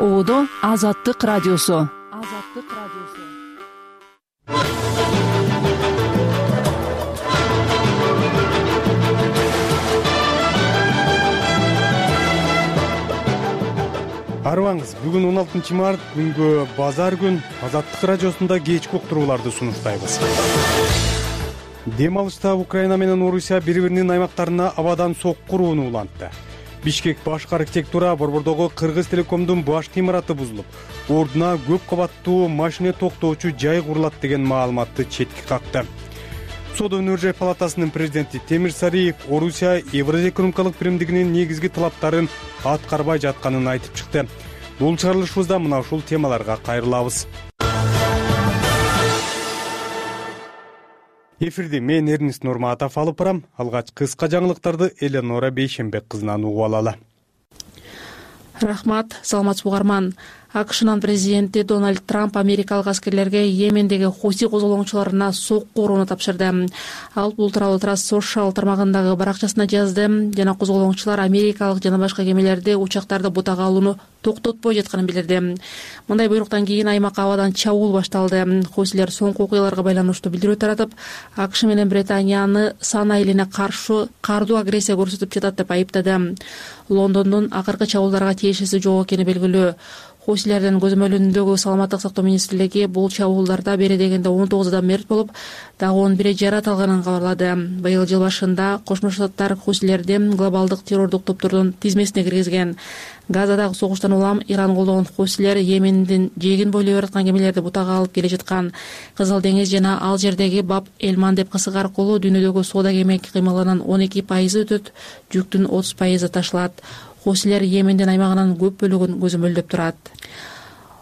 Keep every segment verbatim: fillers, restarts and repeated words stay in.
Оодо Азаттык радиосу. Азаттык радиосу. Арыбаңыз, бүгүн он алтынчы март күнгө базар күн Азаттык радиосунда кечки уктурууларды сунуштайбыз. Дем алышта Украина менен Орусия бири-биринин аймактарына абадан сокку урууну улантты. Бишкек башкы архитектура борбордогу Кыргыз Телекомдун башкы имараты бузулуп, ордуна көп кабаттуу машина токтоочу жай курулат деген маалыматты четке какты. Соода өнөр жай палатасынын президенти Темир Сариев Орусия Евразия экономикалык биримдигинин негизги талаптарын аткарбай жатканын айтып чыкты. Бул чыгарылышыбызда мына ушул темаларга кайрылабыз. Эфирди мен Эрнест Нурматов алып барам. Алгач кыска жаңылыктарды Эленора Бейшембек кызынан угуп алалы. Рахмат, саламатсызбы угарман. АКШнын президенти Дональд Трамп америкалык аскерлерге Йемендеги Хуси козголоңчуларына сокку урууну тапшырды. Ал бул тууралуу Трасс Social тармагындагы баракчасына жазды жана козголоңчулар америкалык жана башка кемелерди учактарды бутага алууну токтотпой жатканын билдирди. Мындай буйруктан кийин аймакка абадан чабуул башталды. Хусилер соңку окуяларга байланыштуу билдирүү таратып, АКШ менен Британияны сан айылына каршы кардуу агрессия көрсөтүп жатат деп айыптады. Лондондун акыркы чабуулдарга тиешеси жок экени белгилүү. Хусилердин көзөмөлүндөгү саламаттык сактоо министрлиги бул чабуулдарда бери дегенде он тогуз адам мерт болуп, дагы он бiri жарат алганын кабарлады. Быйыл жыл башында Кошмо Штаттар хусилерди глобалдык террордук топтордун тизмесине киргизген. Газадагы согуштан улам Иран колдогон хусилер Йемендин жээгин бойлой бараткан кемелерди бутага алып келе жаткан. Кызыл деңиз жана ал жердеги Баб Элман деп кысык аркылуу дүйнөдөгү соода кеме кыймылынын он эки пайызы өтөт, жүктүн отуз пайызы ташылат. Хусилер Йемендин аймагынын көп бөлүгүн көзөмөлдөп турат.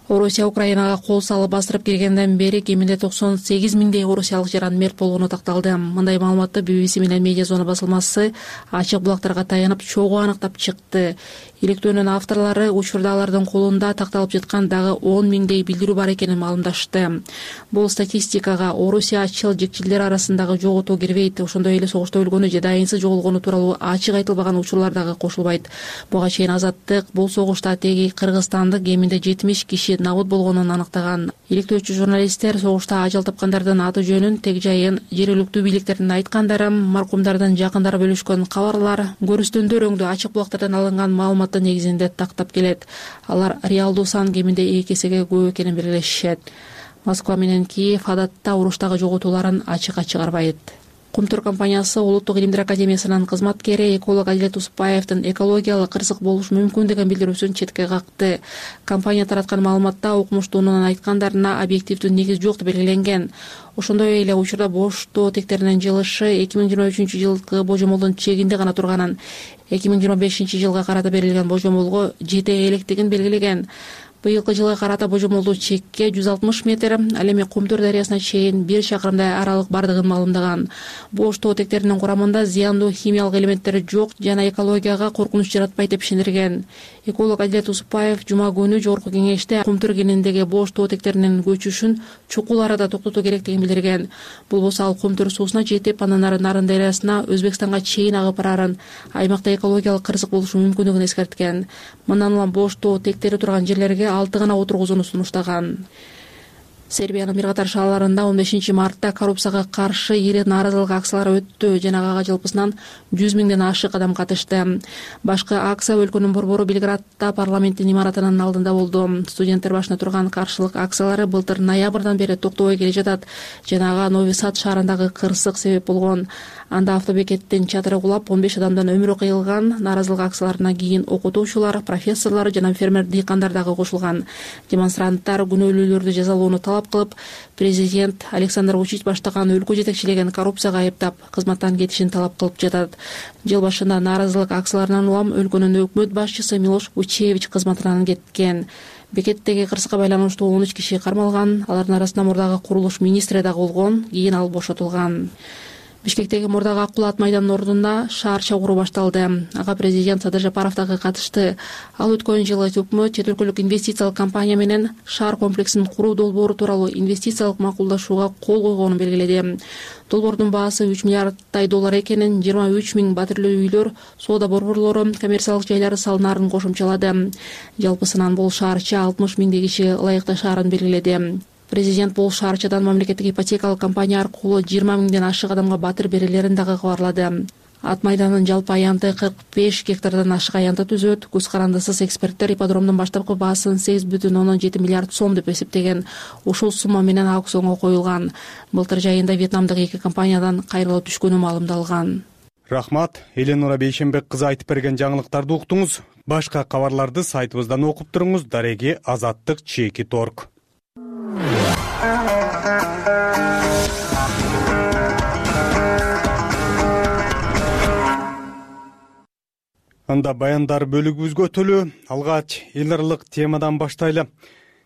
Орусия Украинага кол салып бастырып киргенден бери кеминде токсон сегиз миңдей орусиялык жаран мерт болгону такталды. Мындай маалыматты би би си менен Медиа Зона басылмасы ачык булактарга таянып чогуу аныктап чыкты. Иликтөөнүн авторлору учурда алардын колунда такталып жаткан дагы он миңдей билдирүү бар экенин маалымдашты. Бул статистикага Орусия ачыл жекчилдер арасындагы жоготуу кирбейт. Ошондой эле согушта өлгөнү же дайынсыз жоголгону тууралуу ачык айтылбаган учурлар дагы кошулбайт. Буга чейин Азаттык бул согушта теги кыргызстандык кеминде жетимиш киши набыт болгонун аныктаган. Иликтөөчү журналисттер согушта ажал тапкандардын аты жөнүн, тег жайын, жергиликтүү бийликтердин айткандары, маркумдардын жакындары бөлүшкөн кабарлар, көрүстөндөр өңдүү ачык булактардан алынган маалыматтын негизинде тактап келет. Алар реалдуу сан кеминде эки эсеге көп экенин белгилешет. Москва менен Киев адатта уруштагы жоготууларын ачык чыгарбайт. Кумтур компаниясы Улуттук илимдер академиясынын кызматкери эколог Адилет Усупбаевдин экологиялык кырсык болушу мүмкүн деген билдирүүсүн четке какты. Компания тараткан маалыматта укмуштуунун айткандарына объективдүү негиз жок деп белгиленген. Ошондой эле учурда боштоо тектеринин жылышы эки миң жыйырма үчүнчү жылкы божомолдун чегинде гана турганын, эки миң жыйырма бешинчи жылга карата берилген божомолго жете электигин белгилеген. Быйылкы жылга карата божомолдуу чекке жүз алтымыш метр, ал эми Кумтур дарыясына чейин бир чакырымдай аралык бардыгын маалымдаган. Боштоо тектеринин курамында зыяндуу химиялык элементтер жок жана экологияга коркунуч жаратпайт деп ишендирген. Эколог Адилет Усупбаев жума күнү жогорку кеңеште Кумтур кенендеги боштоо тектеринин көчүшүн чукул арада токтотуу керектигин билдирген. Бул болсо ал Кумтур суусуна жетип, андан ары Нарын дарыясына Өзбекстанга чейин агып барарын, аймакта экологиялык кырсык болушу мүмкүндүгүн эскерткен. Мындан улам боштоо тектери турган жерлерге алты гана отургузууну сунуштаган. Сербиянын бир катар шаарларында он бешинчи мартта коррупцияга каршы ири нааразылык акциялары өттү жана ага жалпысынан жүз миңден ашык адам катышты. Башкы акция өлкөнүн борбору Белградда парламенттин имаратынын алдында болду. Студенттер башына турган каршылык акциялары былтыр ноябрдан бери токтобой келе жатат жана ага Нови Сад шаарындагы кырсык себеп болгон. Анда автобекеттин чатыры кулап, он беш адамдын өмүрү кыйылган. Нааразылык акцияларына кийин окутуучулар, профессорлор жана фермер дыйкандар дагы кошулган. Демонстранттар күнөөлүүлөрдү жазалоону талап кылып, президент Александр Вучич баштаган өлкө жетекчилеген коррупцияга айыптап, кызматтан кетишин талап кылып жатат. Жыл башында нааразылык акцияларынан улам өлкөнүн өкмөт башчысы Милош Вучевич кызматынан кеткен. Бекеттеги кырсыкка байланыштуу он үч киши кармалган. Алардын арасында мурдагы курулуш министри дагы болгон, кийин ал бошотулган. Бишкектеги мурдагы ак булат майданынын ордуна шаар чогуу башталды. Ага президент Садыр Жапаров дагы катышты. Ал өткөн жылы өкмөт чет өлкөлүк инвестициялык компания менен шаар комплексин куруу долбоору тууралуу инвестициялык макулдашууга кол койгонун белгиледи. Долбоордун баасы үч миллиардтай доллар экенин, жыйырма үч миң батирлүү үйлөр, соода борборлору, коммерциялык жайлары салынарын кошумчалады. Жалпысынан бул шаарча алтымыш миңдей киши ылайыктуу шаарын белгиледи. Президент бул шаарчадан мамлекеттик ипотекалык компания аркылуу жыйырма миңден ашык адамга батир берилерин дагы кабарлады. Ат майданынын жалпы аянты кырк беш гектардан ашык аянты түзөт. Көз карандысыз эксперттер ипподромдун баштапкы баасын сегиз бүтүн ондон жети миллиард сом деп эсептеген. Ушул сумма менен аукционго коюлган. Былтыр жайында Вьетнамдык эки компаниядан кайрылып түшкөнү маалымдалган. Рахмат, Эленура Бейшенбек кызы айтып берген жаңылыктарды уктуңуз. Башка кабарларды сайтыбыздан окуп туруңуз. Дареги азаттык чекит точка орг. Анда баяндар бөлүгүбүзгө өтөлү. Алгач эл аралык темадан баштайлы.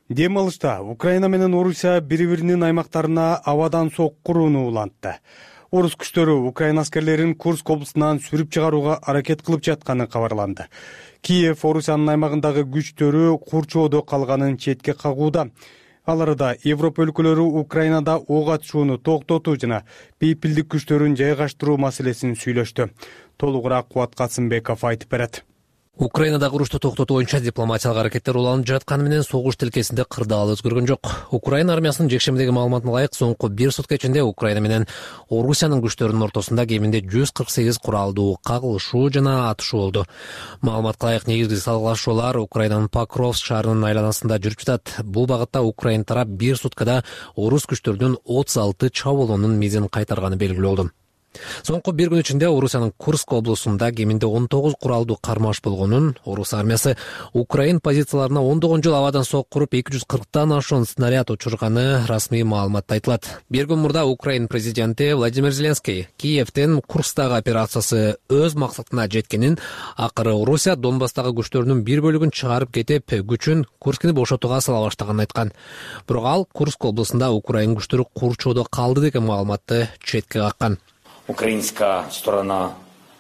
Дем алышта Украина менен Орусия бири-биринин аймактарына абадан соккурууну улантты. Орус күчтөрү Украина аскерлерин Курск облусунан сүрүп чыгарууга аракет кылып жатканы кабарланды. Киев Орусиянын аймагындагы күчтөрү курчоодо калганын четке кагууда. Аларда Европа өлкөлөрү Украинада ок атышууну токтотуу жана бейпилдик күчтөрүн жайгаштыруу маселесин сүйлөштү. Толугураак Кубат Касымбеков айтып берет. Украинадагы урушту токтотуу боюнча дипломатиялык аракеттер уланып жатканы менен согуш тилкесинде кырдаал өзгөргөн жок. Украина армиясынын жекшембидеги маалыматына ылайык, соңку бир сутка ичинде Украина менен Орусиянын күчтөрүнүн ортосунда кеминде жүз кырк сегиз куралдуу кагылышуу жана атышуу болду. Маалыматка ылайык, негизги салгылашуулар Украинанын Покровск шаарынын айланасында жүрүп жатат. Бул багытта Украина тарап бир суткада орус күчтөрүнүн отуз алты чабуулунун мизин кайтарганы белгилүү болду. Соңку бир күн ичинде Орусиянын Курск облусунда кеминде он тогуз куралдуу кармаш болгонун, орус армиясы Украин позицияларына ондогон жыл абадан соккуруп эки жүз кырктан ашуун снаряд учурганы расмий маалыматта айтылат. Бир күн мурда Украин президенти Владимир Зеленский Киевден Курскдагы операциясы өз максатына жеткенин, акыры Орусия Донбасстагы күчтөрүнүн бир бөлүгүн чыгарып кетип, күчүн Курскни бошотууга сала баштаганын айткан. Бирок ал Курск облусунда Украин күчтөрү курчоодо калды деген маалыматты четке каккан. Украинская сторона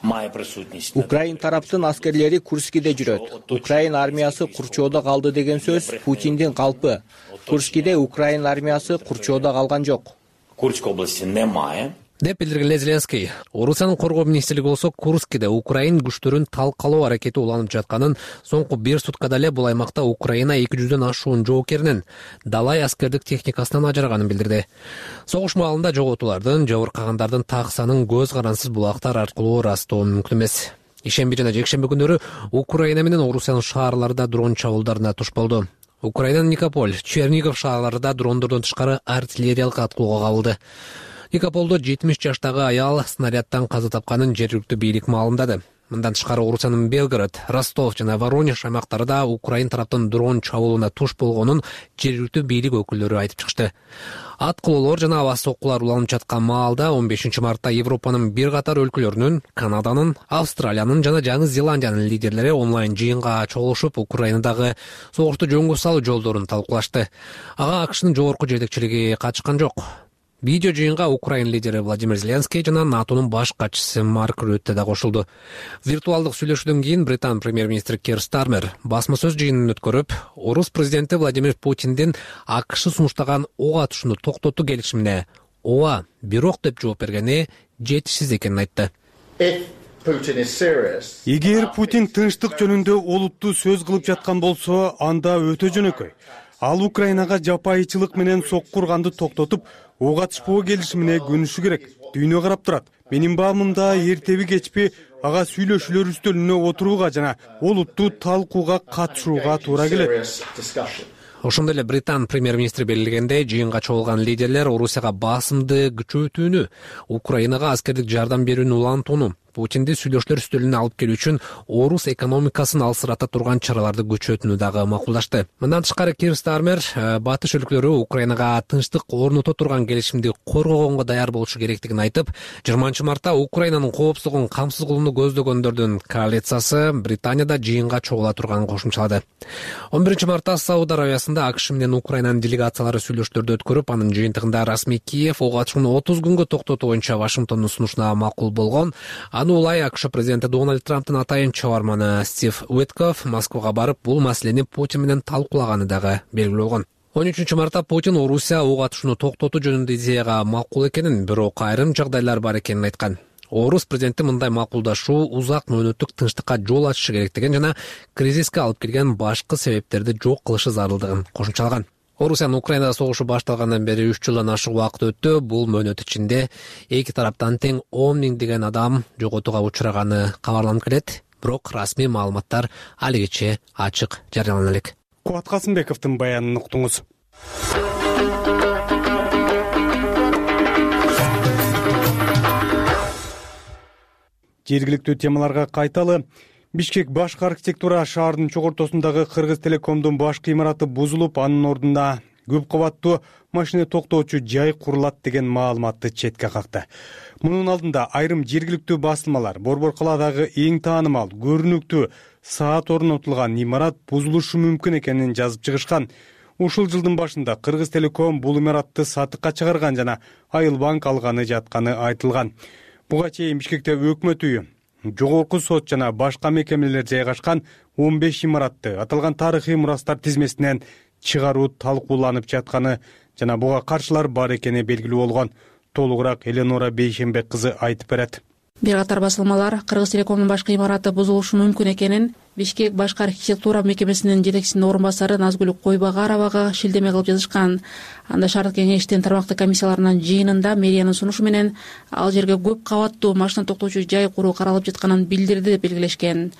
має присутність. Украин тараптын аскерлери Курскиде жүрөт. Украин армиясы курчоодо калды деген сөз Путиндин калпы. Курскиде Украин армиясы курчоодо калган жок. Курск области немає. деп билдирген Зеленский. Орусиянын коргоо министрлиги болсо Курскиде Украин күчтөрүн талкалоо аракети уланып жатканын, соңку бир суткада эле бул аймакта Украина эки жүздөн ашуун жоокеринин далай аскердик техникасынан ажыраганын билдирди. Согуш маалында жоготуулардын, жабыркагандардын так санын көз карансыз булактар аркылуу ырастоо мүмкүн эмес. Ишемби жана жекшемби күнөрү Украина менен Орусиянын шаарлары да дрон чабуулдарына туш болду. Украинанын Никополь, Чернигов шаарлары да дрондордон тышкары артиллериялык аткылууга кабылды. Никополдо жетимиш жаштагы аял снарядтан каза тапканын жергиликтүү бийлик маалымдады. Мындан тышкары Орусиянын Белгород, Ростов жана Воронеж аймактары да Украин тараптын дрон чабуулуна туш болгонун жергиликтүү бийлик өкүлдөрү айтып чыкты. Аткылоолор жана аба соккулар уланып жаткан маалда он бешинчи мартта Европанын бир катар өлкөлөрүнүн, Канаданын, Австралиянын жана Жаңы Зеландиянын лидерлери онлайн жыйынга чогулушуп Украинадагы согушту жөнгө салуу жолдорун талкуулашты. Ага АКШнын жогорку жетекчилиги катышкан жок. Видео жыйынга Украин лидери Владимир Зеленский жана НАТОнун баш катчысы Марк Рютте да кошулду. Виртуалдык сүйлөшүүдөн кийин Британ премьер-министри Кир Стармер басма сөз жыйынын өткөрүп, орус президенти Владимир Путиндин АКШ сунуштаган ок атышууну токтотуу келишимине ооба, бирок деп жооп бергени жетишсиз экенин айтты. Эгер Путин тынчтык жөнүндө олуттуу сөз кылып жаткан болсо, анда өтө жөнөкөй. Ал Украинага жапайычылык менен соккурганды токтотуп, ок атышпоо келишимине көнүшү керек. Дүйнө карап турат. Менин баамымда эртеби кечпи ага сүйлөшүүлөр үстөлүнө отурууга жана олуттуу талкууга катышууга туура келет. Ошондой эле Британ премьер-министри белгилегендей, жыйынга чогулган лидерлер Орусияга басымды күчөтүүнү, Украинага аскердик жардам берүүнү улантууну, Путинди сүйлөшүүлөр үстөлүнө алып келүү үчүн орус экономикасын алсырата турган чараларды күчөтүүнү дагы макулдашты. Мындан тышкары Кир Стармер батыш өлкөлөрү Украинага тынчтык орното турган келишимди коргогонго даяр болушу керектигин айтып, жыйырманчы мартта Украинанын коопсуздугун камсыз кылууну көздөгөндөрдүн коалициясы Британияда жыйынга чогула турганын кошумчалады. он биринчи мартта Сауд Аравиясында АКШ менен Украинанын делегациялары сүйлөшүүлөрдү өткөрүп, анын жыйынтыгында расмий Киев ого ачууну отуз күнгө токтотуу боюнча Вашингтондун сунушуна макул болгон. Аны улай АКШ президенти Дональд Трамптын атайын чабарманы Стив Уиткофф Москвага барып, бул маселени Путин менен талкуулаганы дагы белгилүү болгон. он үчүнчү мартта Путин Орусия ок атышууну токтотуу жөнүндө идеяга макул экенин, бирок айрым жагдайлар бар экенин айткан. Орус президенти мындай макулдашуу узак мөөнөттүк тынчтыкка жол ачышы керектигин жана кризиске алып келген башкы себептерди жок кылышы зарылдыгын кошумчалаган. Орусиянын Украинада согушу башталгандан бери үч жылдан ашык убакыт өттү. Бул мөөнөт ичинде эки тараптан тең он миңдеген адам жоготууга учураганы кабарланып келет. Бирок расмий маалыматтар алигиче ачык жарыялана элек. Кубат Касымбековдун баянын уктуңуз. Жергиликтүү темаларга кайталы. Бишкек башкы архитектура шаардын чогортосундагы Кыргыз Телекомдун башкы имараты бузулуп, анын ордуна көп кабаттуу машина токтоочу жай курулат деген маалыматты четке какты. Мунун алдында айрым жергиликтүү басылмалар Борбор калаадагы эң таанымал, көрүнүктүү саат орнотулган имарат бузулушу мүмкүн экенин жазып чыгышкан. Ушул жылдын башында Кыргыз Телеком бул имаратты сатыкка чыгарган жана Айыл банк алганы жатканы айтылган. Буга чейин Бишкекте өкмөт үйү, жогорку сот жана башка мекемелер жайгашкан он беш имаратты аталган тарыхый мурастар тизмесинен чыгаруу талкууланып жатканы жана буга каршылар бар экени белгилүү болгон. Толугураак Эленора Бейшембек кызы айтып берет. Бир катар басылмалар Кыргыз Телекомдун башкы имараты бузулушу мүмкүн экенин Бишкек башкы архитектура мекемесинин жетекчисинин орун басары Назгүл Койбагаровага шилдеме кылып жазышкан. Анда шаардык кеңештин тармактык комиссияларынын жыйынында мэриянын сунушу менен ал жерге көп кабаттуу машина токтоочу жай куруу каралып жатканын билдирди деп белгилешкен.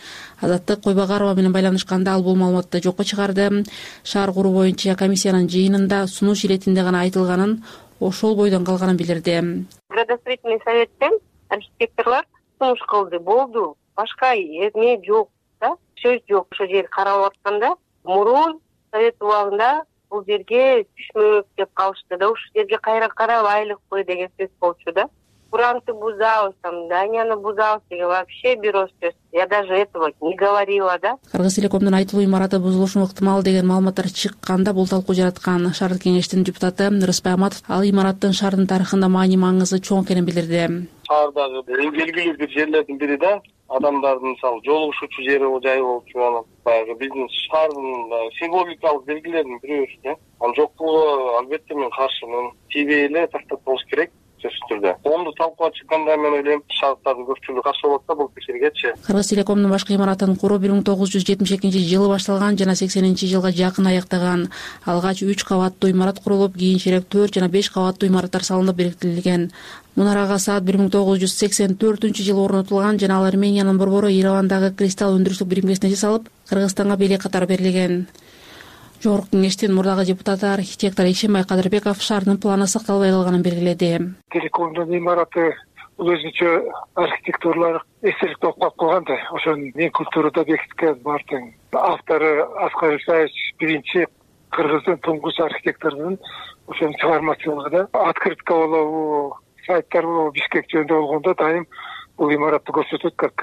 Азаттык Койбагарова менен байланышканда ал бул маалыматты жокко чыгарды. Шаар куруу боюнча комиссиянын жыйынында сунуш иретинде гана айтылганын, ошол бойдон калганын билдирди. Градостроительный советтен архитекторлор сунуш кылды, болду. Башка эме жок да, сөз жок. Ошол жер каралып атканда мурун совет убагында бул жерге түшмөк деп калышты да, ушул жерге кайра карабайлыкпы деген сөз болчу да. Куранты бузабыз, там, Данияны бузабыз деген вообще бирөө сөз. Я даже этого не говорила, да. Кыргыз Телекомдун айтылуу имараты бузулушу ыктымал деген маалыматтар чыкканда бул талкуу жараткан. Шаардык кеңештин депутаты Рыспай Аматов ал имараттын шаардын тарыхында маани маңызы чоң экенин билдирди. Шаардагы эң белгилүү бир жерлердин бири да, адамдардын мисалы жолугушуучу жери жай болчу, анан баягы биздин шаардын символикалык белгилеринин бирөөсү да. Анын жокпугу албетте мен каршымын. Тийбей эле тактап болуш керек. Онду талкууга чыкканда мен ойлойм шаардардын көпчүлүгү каршы болот да бул пикиргечи. Кыргыз Телекомдун башкы имаратын куруу бир миң тогуз жүз жетимиш экинчи жылы башталган жана сексенинчи жылга жакын аяктаган. Алгач үч кабаттуу имарат курулуп, кийинчерээк төрт жана беш кабаттуу имараттар салынып бекитилген. Мунарага саат бир миң тогуз жүз сексен төртүнчү жылы орнотулган жана ал Армениянын борбору Еревандагы кристалл өндүрүштүк биримгесине жасалып, Кыргызстанга белек катары берилген. Жогорку кеңештин мурдагы депутаты архитектор Ишембай Кадырбеков шаардын планы сакталбай калганын белгиледи. Телекомдун имараты бул өзүнчө архитектуралык эстелик болуп калган да. Ошонун мен культурада бекиткен бартын. Автору Аскар Исаевич биринчи кыргыздын туңгуч архитекторунун ошонун чыгармачылыгы да. Открытка болобу, сайттар болобу Бишкек жөнүндө болгондо дайым бул имаратты көрсөтөт как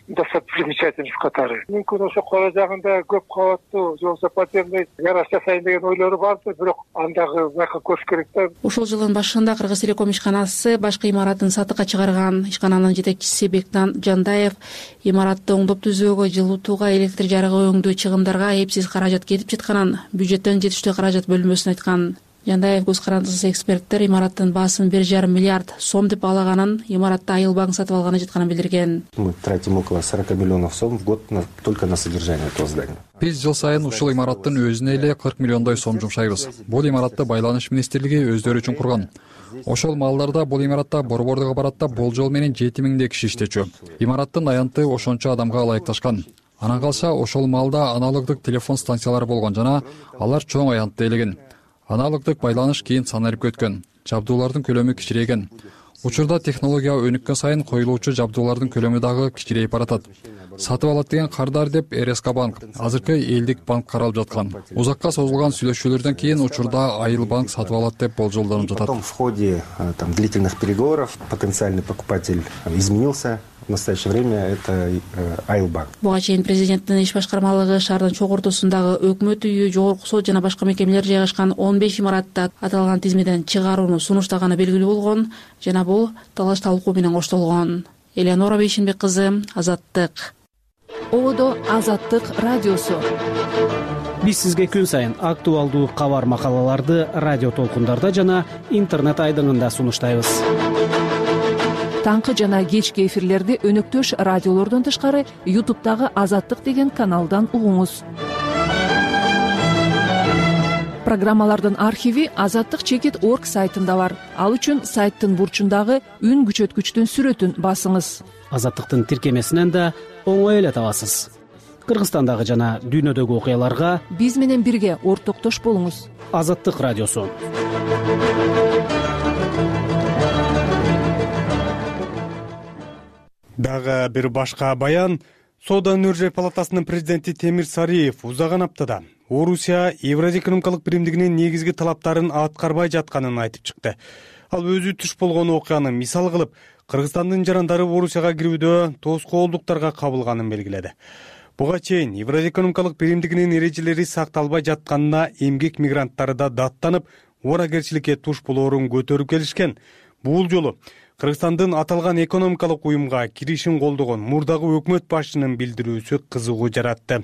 достопримечательность катары. Мүмкүн ошо кора жагында көп кабаттуу же болбосо подземный гараж жасайын деген ойлору барды, бирок андагы байка көрүш керек да. Ушул жылдын башында Кыргыз Телеком ишканасы башкы имаратын сатыкка чыгарган. Ишкананын жетекчиси Бектан Жандаев имаратты оңдоп түзүүгө, жылытууга, электр жарыгы өңдөө чыгымдарга эпсиз каражат кетип жатканын, бюджеттен жетиштүү каражат бөлүнбөсүн айткан. Жандаев көз карандысыз эксперттер имараттын баасын бир жарым миллиард сом деп баалаганын, имаратты Айыл банк сатып алганы жатканын билдирген. Мы тратим около сорок миллионов сом в год на, только на содержание этого здания. Биз жыл сайын ушул имараттын өзүнө эле кырк миллиондой сом жумшайбыз. Бул имаратты Байланыш министрлиги өздөрү үчүн курган. Ошол малдарда бул имаратта борбордук аппаратта болжол менен жети миңдей киши иштечү. Имараттын аянты ошончо адамга ылайыкташкан. Анан калса ошол малда аналогдук телефон станциялары болгон жана алар чоң аянтты ээлеген. Аналогдук байланыш кийин санарип өткөн. Жабдуулардын көлөмү кичирейген. Учурда технология өнүккөн сайын коюлуучу жабдуулардын көлөмү дагы кичирейип баратат. Сатып алат деген кардар деп эр эс ка банк, азыркы элдик банк каралып жаткан. Узакка созулган сүйлөшүүлөрдөн кийин учурда Айыл банк сатып алат деп болжолдонуп жатат. Потом в ходе там длительных переговоров потенциальный покупатель изменился. В настоящее время это Айыл банк. Буга чейин президенттин иш башкармалыгы шаардын чогуу ортосундагы өкмөт үйү, жогорку сот жана башка мекемелер жайгашкан он беш имаратты аталган тизмеден чыгарууну сунуштаганы белгилүү болгон жана бул талаш талкуу менен коштолгон. Элеонора Бейшенбек кызы, Азаттык. Ободо Азаттык радиосу. Биз сизге күн сайын актуалдуу кабар макалаларды радио толкундарда жана интернет айдыңында сунуштайбыз. Таңкы жана кечки эфирлерди өнөктөш радиолордон тышкары ютубтагы Азаттык деген каналдан угуңуз. Программалардын архиви азаттык чекит точка орг сайтында бар. Ал үчүн сайттын бурчундагы үн күчөткүчтүн сүрөтүн басыңыз. Азаттыктын тиркемесинен да оңой эле табасыз. Кыргызстандагы жана дүйнөдөгү окуяларга биз менен бирге ортоктош болуңуз. Азаттык радиосу. Дагы бир башка баян. Соода өнөр жай палатасынын президенти Темир Сариев узаган аптада Орусия Евразия экономикалык биримдигинин негизги талаптарын аткарбай жатканын айтып чыкты. Ал өзү туш болгон окуяны мисал кылып, Кыргызстандын жарандары Орусияга кирүүдө тоскоолдуктарга кабылганын белгиледи. Буга чейин Евразия экономикалык биримдигинин эрежелери сакталбай жатканына эмгек мигранттары да даттанып, ооракерчиликке туш болоорун көтөрүп келишкен. Бул жолу Кыргызстандын аталган экономикалык уюмга киришин колдогон мурдагы өкмөт башчынын билдирүүсү кызыгуу жаратты.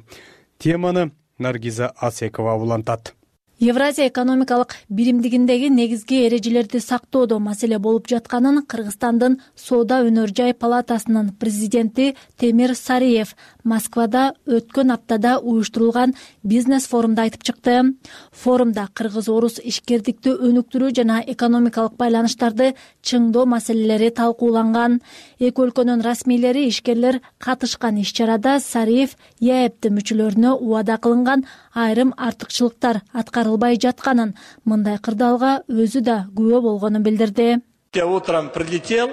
Теманы Наргиза Асекова улантат. Евразия экономикалык биримдигиндеги негизги эрежелерди сактоодо маселе болуп жатканын Кыргызстандын Соода өнөр жай палатасынын президенти Темир Сариев Москвада өткөн аптада уюштурулган бизнес форумда айтып чыкты. Форумда кыргыз-орус ишкердикти өнүктүрүү жана экономикалык байланыштарды чыңдоо маселелери талкууланган. Эки өлкөнүн расмийлери, ишкерлер катышкан иш-чарада Сариев ЕАЭБтин мүчөлөрүнө убада кылынган айрым артыкчылыктар аткарылбай жатканын, мындай кырдаалга өзү да күбө болгонун билдирди. Я утром прилетел,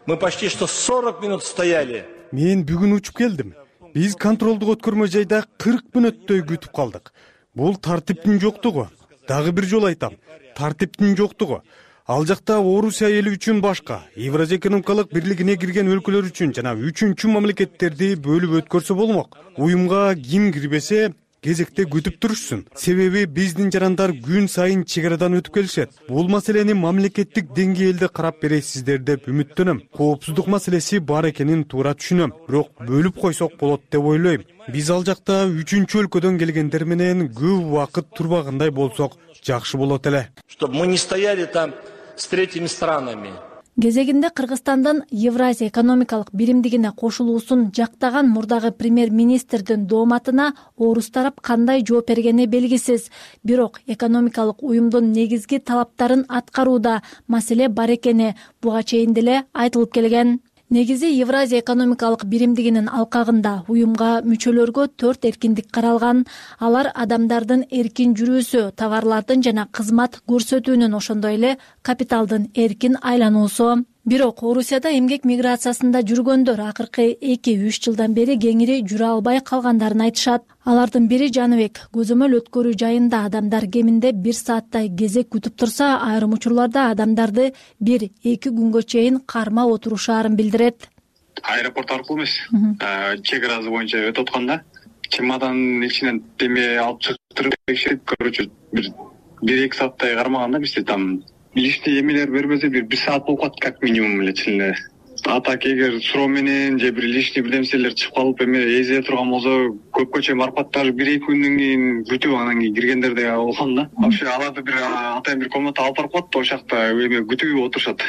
мы почти что сорок минут стояли. Мен бүгүн учуп келдим. Биз контролдук өткөрмө жайда кырк мүнөттөй күтүп калдык. Бул тартиптин жоктугу. Дагы бир жолу айтам, тартиптин жоктугу. Ал жакта Орусия эли үчүн башка, Евразия экономикалык бирлигине кирген өлкөлөр үчүн жана үчүнчү мамлекеттерди бөлүп өткөрсө болмок. Уюмга ким кирбесе кезекте күтүп турушсун. Себеби биздин жарандар күн сайын чек арадан өтүп келишет. Бул маселени мамлекеттик деңгээлде карап бересиздер деп үмүттөнөм. Коопсуздук маселеси бар экенин туура түшүнөм. Бирок бөлүп койсок болот деп ойлойм. Биз ал жакта үчүнчү өлкөдөн келгендер менен көп убакыт турбагандай болсок жакшы болот эле. Чтобы мы не стояли там с третьими странами. Кезегинде Кыргызстандын Евразия экономикалык биримдигине кошулуусун жактаган мурдагы премьер-министрдин дооматына орус тарап кандай жооп бергени белгисиз. Бирок экономикалык уюмдун негизги талаптарын аткарууда маселе бар экени буга чейин деле айтылып келген. Негизи Евразия экономикалык биримдигинин алкагында уюмга мүчөлөргө төрт эркиндик каралган. Алар адамдардын эркин жүрүүсү, товарлардын жана кызмат көрсөтүүнүн, ошондой эле капиталдын эркин айлануусу. Бирок Орусияда эмгек миграциясында жүргөндөр акыркы эки үч жылдан бери кеңири жүрө албай калгандарын айтышат. Алардын бири Жаныбек. Көзөмөл өткөрүү жайында адамдар кеминде бир сааттай кезек күтүп турса, айрым учурларда адамдарды бир эки күнгө чейин кармап отурушаарын билдирет. Аэропорт аркылуу эмес, чек арасы боюнча өтүп атканда чемоданын ичинен деме алып чыгып текшерип, короче, бир бир эки сааттай кармаганда бизде там лишний эмелер бербесе бир бир саат болуп калат как минимум эле чын эле. А так эгер суроо менен же бир лишний бир нерселер чыгып калып эме эзиле турган болсо көпкө чейин барып калат, даже бир эки күндөн кийин күтүп анан кийин киргендер да болгон да. Вообще аларды бир атайын бир комната алып барып коет да, ошол жакта эме күтүп отурушат.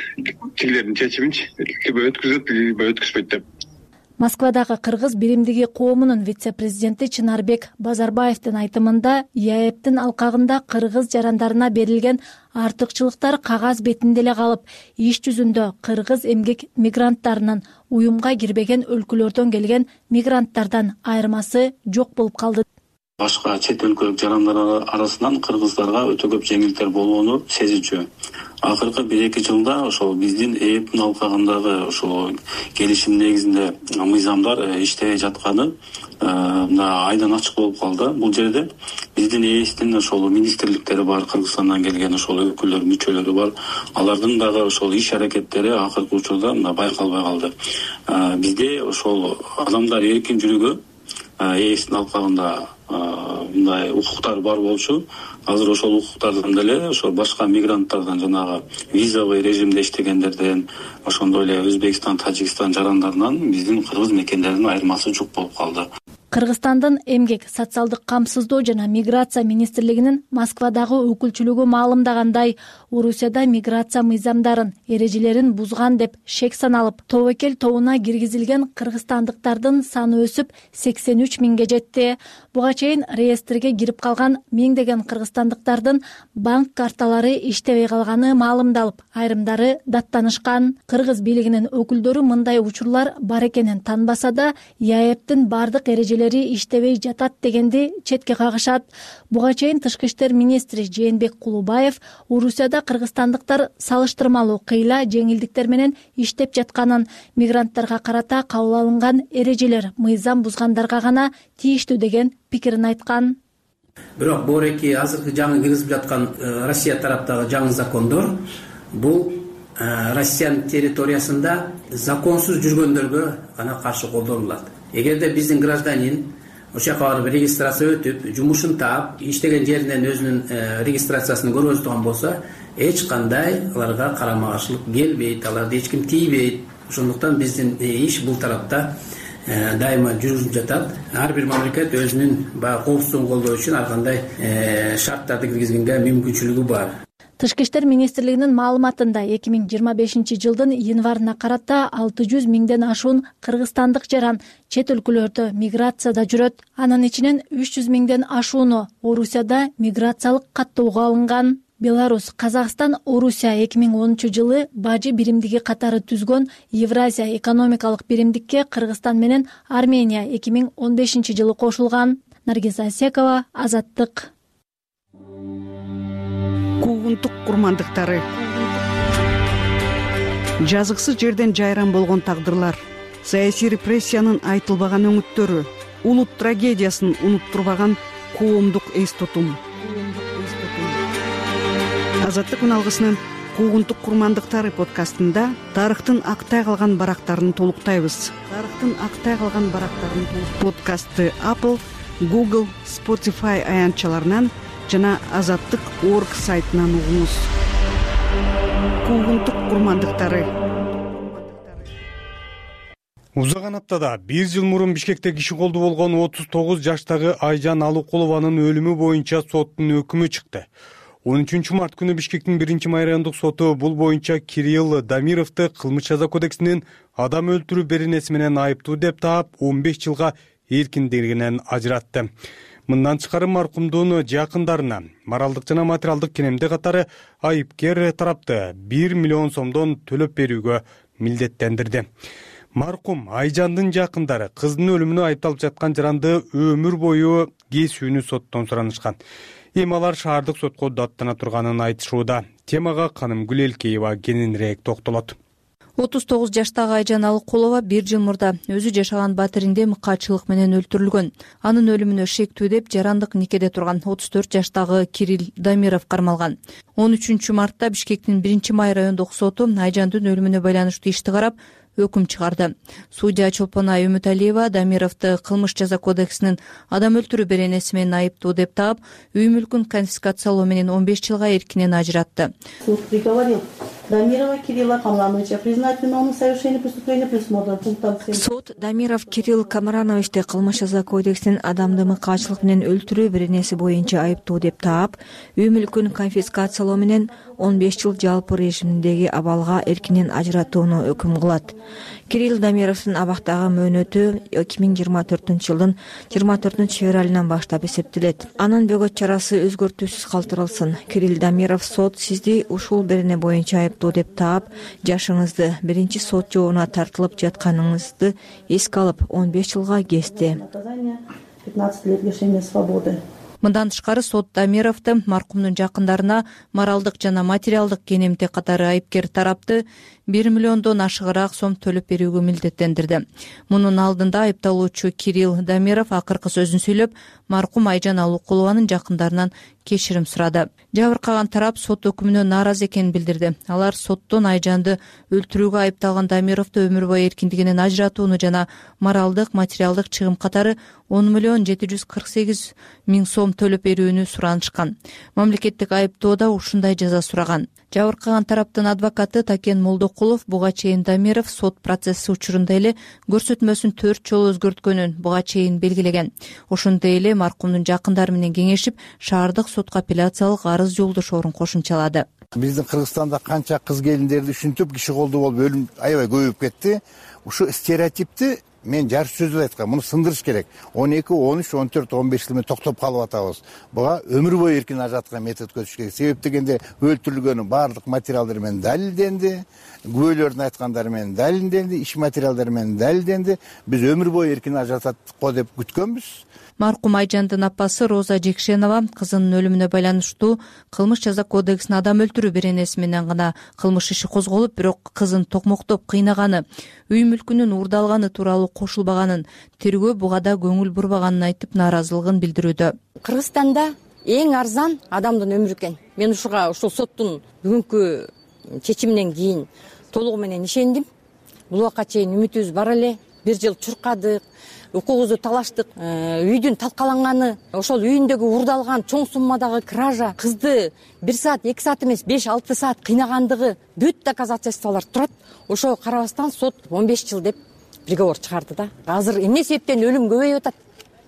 Тигилердин чечиминчи, либо өткүзөт, либо өткүзбөйт деп. Москвадагы кыргыз биримдиги коомунун вице-президенти Чынарбек Базарбаевдин айтымында ЕАЭБтин алкагында кыргыз жарандарына берилген артыкчылыктар кагаз бетинде эле калып, иш жүзүндө кыргыз эмгек мигранттарынын уюмга кирбеген өлкөлөрдөн келген мигранттардан айырмасы жок болуп калды. башка чет өлкөлүк жарандар арасынан кыргыздарга өтө көп жеңилдиктер болгону сезичү. Акыркы бир эки жылда ошол биздин ээптин алкагындагы ошол келишим негизинде мыйзамдар иштебей жатканы мына айдан ачык болуп калды. Бул жерде биздин ээстин ошол министрликтери бар, Кыргызстандан келген ошол өкүлдөр, мүчөлөрү бар. Алардын дагы ошол иш аракеттери акыркы учурда мына байкалбай калды. Бизде ошол адамдар эркин жүрүүгө ээстин алкагында мындай укуктар бар болчу. Азыр ошол укуктардан деле ошол башка мигранттардан, жанагы визовый режимде иштегендерден, ошондой эле Өзбекстан, Тажикстан жарандарынан биздин кыргыз мекендеринин айырмасы жок болуп калды. Кыргызстандын эмгек, социалдык камсыздоо жана миграция министрлигинин Москвадагы өкүлчүлүгү маалымдагандай, Орусияда миграция мыйзамдарын, эрежелерин бузган деп шек саналып, тобокел тобуна киргизилген кыргызстандыктардын саны өсүп сексен үч миңге жетти. Буга чейин реестрге кирип калган миңдеген кыргызстандыктардын банк карталары иштебей калганы маалымдалып, айрымдары даттанышкан. Кыргыз бийлигинин өкүлдөрү мындай учурлар бар экенин танбаса да, ЯЭПтин бардык эрежелери иштебей жатат дегенди четке кагышат. Буга чейин тышкы иштер министри Жээнбек Кулубаев Орусияда кыргызстандыктар салыштырмалуу кыйла жеңилдиктер менен иштеп жатканын, мигранттарга карата кабыл алынган эрежелер мыйзам бузгандарга гана тийиштүү деген пикирин айткан. Бирок бореки азыркы жаңы киргизип жаткан Россия тараптагы жаңы закондор бул Россиянын территориясында законсуз жүргөндөргө гана каршы колдонулат. Эгерде биздин гражданин ошол жака барып регистрация өтүп, жумушун таап, иштеген жеринен өзүнүн регистрациясын көргөзө турган болсо, эч кандай аларга карама каршылык келбейт, аларды эч ким тийбейт. Ошондуктан биздин иш бул тарапта дайыма жүрүп жатат. Ар бир мамлекет өзүнүн баягы коопсуздугун колдоо үчүн ар кандай шарттарды киргизгенге мүмкүнчүлүгү бар. Тышкы иштер министрлигинин маалыматында эки миң жыйырма бешинчи жылдын январына карата алты жүз миңден ашуун кыргызстандык жаран чет өлкөлөрдө миграцияда жүрөт. Анын ичинен үч жүз миңден ашууну Орусияда миграциялык каттоого алынган. Беларусь, Казакстан, Орусия эки миң онунчу жылы бажы биримдиги катары түзгөн Евразия экономикалык биримдикке Кыргызстан менен Армения эки миң он бешинчи жылы кошулган. Наргиз Асекова, Азаттык. Куугунтук курмандыктары. Жазыксыз жерден жайран болгон тагдырлар, саясий репрессиянын айтылбаган өңүттөрү, улут трагедиясын унуттурбаган коомдук эс тутум. Азаттык үналгысынын Куугунтук курмандыктары подкастында тарыхтын актай калган барактарын толуктайбыз. Тарыхтын актай калган барактарын подкастты Apple, Google, Spotify аянтчаларынан жана азаттык точка орг сайтынан угуңуз. Куугунтук курмандыктары. Узаган аптада бир жыл мурун Бишкекте киши колду болгон отуз тогуз жаштагы Айжан Алыкулованын өлүмү боюнча соттун өкүмү чыкты. он үчүнчү март күнү Бишкектин биринчи май райондук соту бул боюнча Кирилл Дамировду кылмыш жаза кодексинин адам өлтүрүү беренеси менен айыптуу деп таап он беш жылга эркиндигинен ажыратты. Мындан тышкары маркумдун жакындарына моралдык жана материалдык кенемде катары айыпкер тарапты бир миллион сомдон төлөп берүүгө милдеттендирди. Маркум Айжандын жакындары кыздын өлүмүнө айыпталып жаткан жаранды өмүр бою кесүүнү соттон суранышкан. Эми алар шаардык сотко даттана турганын айтышууда. Темага Каным Гүлелкеева кененирээк токтолот. отуз тогуз жаштагы Айжан Алыкулова бир жыл мурда өзү жашаган батиринде мыкаачылык менен өлтүрүлгөн. Анын өлүмүнө шектүү деп жарандык никеде турган отуз төрт жаштагы Кирилл Дамиров кармалган. он үчүнчү мартта Бишкектин биринчи май райондук соту Айжандын өлүмүнө байланыштуу ишти карап өкүм чыгарды. Судья Чолпонай Үмүталиева Дамировду кылмыш жаза кодексинин адам өлтүрүү беренеси менен айыптуу деп таап, үй мүлкүн конфискациялоо менен он беш жылга эркинен ажыратты. Суд приговорил Дамирова Кирилла Камрановича признать виновным в совершении преступления предусмотренного пунктом семь. Суд Дамиров Кирилл Камрановичти кылмыш жаза кодексинин адамды мыкаачылык менен өлтүрүү беренеси боюнча айыптуу деп таап, үй мүлкүн конфискациялоо менен он беш жыл жалпы режимдеги абалга эркинен ажыратууну өкүм кылат. Кирилл Дамировдун абактагы мөөнөтү эки миң жыйырма төртүнчү жылдын жыйырма төртүнчү февралынан баштап эсептелет. Анын бөгөт чарасы өзгөртүүсүз калтырылсын. Кирилл Дамиров сот сизди ушул берене боюнча айыптуу деп таап, жашыңызды биринчи сот жообуна тартылып жатканыңызды эске алып он беш жылга кести. пятнадцать лет лишения свободы. Мындан тышкары сот Дамировду маркумдун жакындарына моралдык жана материалдык кенемтек катары айыпкер тарапты бир миллиондон ашыгыраак сом төлөп берүүгө милдеттендирди. Мунун алдында айыпталуучу Кирилл Дамиров акыркы сөзүн сүйлөп, маркум Айжан Алукулованын жакындарынан кечирим сурады. Жабыркаган тарап сот өкүмүнө нааразы экенин билдирди. Алар соттон Айжанды өлтүрүүгө айыпталган Дамировду өмүр бою эркиндигинен ажыратууну жана моралдык, материалдык чыгым катары он миллион жети жүз кырк сегиз миң сом төлөп берүүнү суранышкан. Мамлекеттик айыптоодо ушундай жаза сураган. Жабыркаган тараптын адвокаты Такен Молдокулов буга чейин Дамиров сот процесси учурунда эле көрсөтмөсүн төрт жолу өзгөрткөнүн буга чейин белгилеген. Ошондой эле маркумдун жакындары менен кеңешип, шаардык сотко апелляциялык арыз жолдошоорун кошумчалады. Биздин Кыргызстанда канча кыз келиндерди ушинтип киши колдуу болуп өлүм аябай көбөйүп кетти. Ушу стереотипти мен жарыш сөзүп айткам, муну сындырыш керек. он эки, он үч, он төрт, он беш жыл менен токтоп калып атабыз. Буга өмүр бою эркин ажыраткан метод көзүш керек. Себеп дегенде өлтүрүлгөнүн баардык материалдары менен далилденди, күбөлөрдүн айткандары менен далилденди, иш материалдары менен далилденди. Биз өмүр бою эркин ажыратат го деп күткөнбүз. Маркум Айжандын апасы Роза Жекшенова кызынын өлүмүнө байланыштуу кылмыш жаза кодексине адам өлтүрүү беренеси менен гана кылмыш иши козголуп, бирок кызын токмоктоп кыйнаганы, үй мүлкүнүн уурдалганы тууралуу кошулбаганын, тергөө буга да көңүл бурбаганын айтып, нааразылыгын билдирүүдө. Кыргызстанда эң арзан адамдын өмүрү экен. Мен ушуга ушул соттун бүгүнкү чечиминен кийин толугу менен ишендим. Бул убакка чейин үмүтүбүз бар эле. Бир жыл чуркадык, укугубузду талаштык, үйдүн талкаланганы, ошол үйүндөгү уурдалган чоң суммадагы кража, кызды бир саат, эки саат эмес, беш, алты саат кыйнагандыгы бүт доказательстволор турат. Ошого карабастан сот он беш жыл деп приговор чыгарды да. Азыр эмне себептен өлүм көбөйүп атат?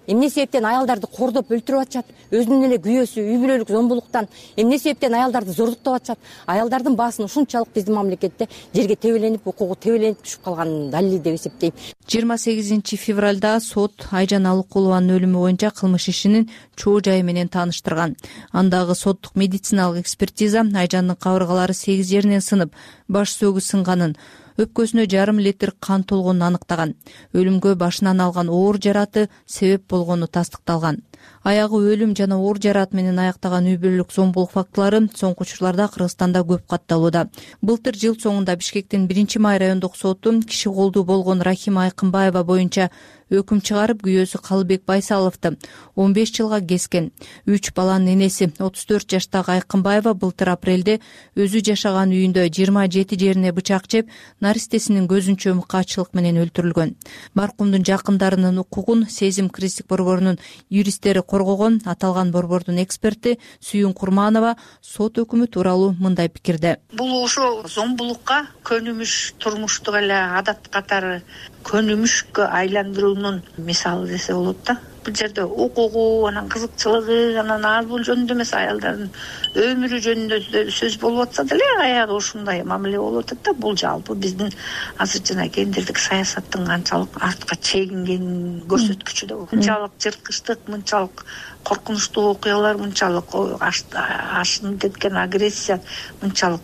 Эмне себептен аялдарды кордоп өлтүрүп атышат? Өзүнүн эле күйөөсү үй бүлөлүк зомбулуктан эмне себептен аялдарды зордуктап атышат? Аялдардын баасын ушунчалык биздин мамлекетте жерге тебеленип, укугу тебеленип түшүп калганын далили деп эсептейм. жыйырма сегизинчи февралда сот Айжан Алукулованын өлүмү боюнча кылмыш ишинин чоо жайы менен тааныштырган. Андагы соттук медициналык экспертиза Айжандын кабыргалары сегиз жеринен сынып, баш сөөгү сынганын, өпкөсүнө жарым литр кан толгонун аныктаган. Өлүмгө башынан алган оор жараты себеп болгону тастыкталган. Аягы өлүм жана оор жарат менен аяктаган үй бүлөлүк зомбулук фактылары соңку учурларда Кыргызстанда көп катталууда. Былтыр жыл соңунда Бишкектин биринчи май райондук соту киши колдуу болгон Рахима Айкынбаева боюнча өкүм чыгарып, күйөөсү Калыбек Байсаловду он беш жылга kesкен. Үч баланын энеси отуз төрт жаштагы Айкынбаева былтыр апрелде өзү жашаган үйүндө жыйырма жети жерине бычак жеп, наристесинин көзүнчө мыкаачылык менен өлтүрүлгөн. Маркумдун жакындарынын укугун Сезим кристик борборунун юристтери коргогон. Аталган борбордун эксперти Сүйүн Курманова сот өкүмү тууралуу мындай пикирде. Бул ошо зомбулукка көнүмүш, турмуштук эле адат катары көнүмүшкө айландыруунун мисалы десе болот да. Бул жерде укугу, анан кызыкчылыгы, анан ал бул жөнүндө эмес, аялдардын өмүрү жөнүндө сөз болуп атса деле аягы ушундай мамиле болуп атат да. Бул жалпы биздин азыр жана гендердик саясаттын канчалык артка чегингенин көрсөткүчү да. Мынчалык жырткычтык, мынчалык коркунучтуу окуялар, мынчалык ашынып кеткен агрессия, мынчалык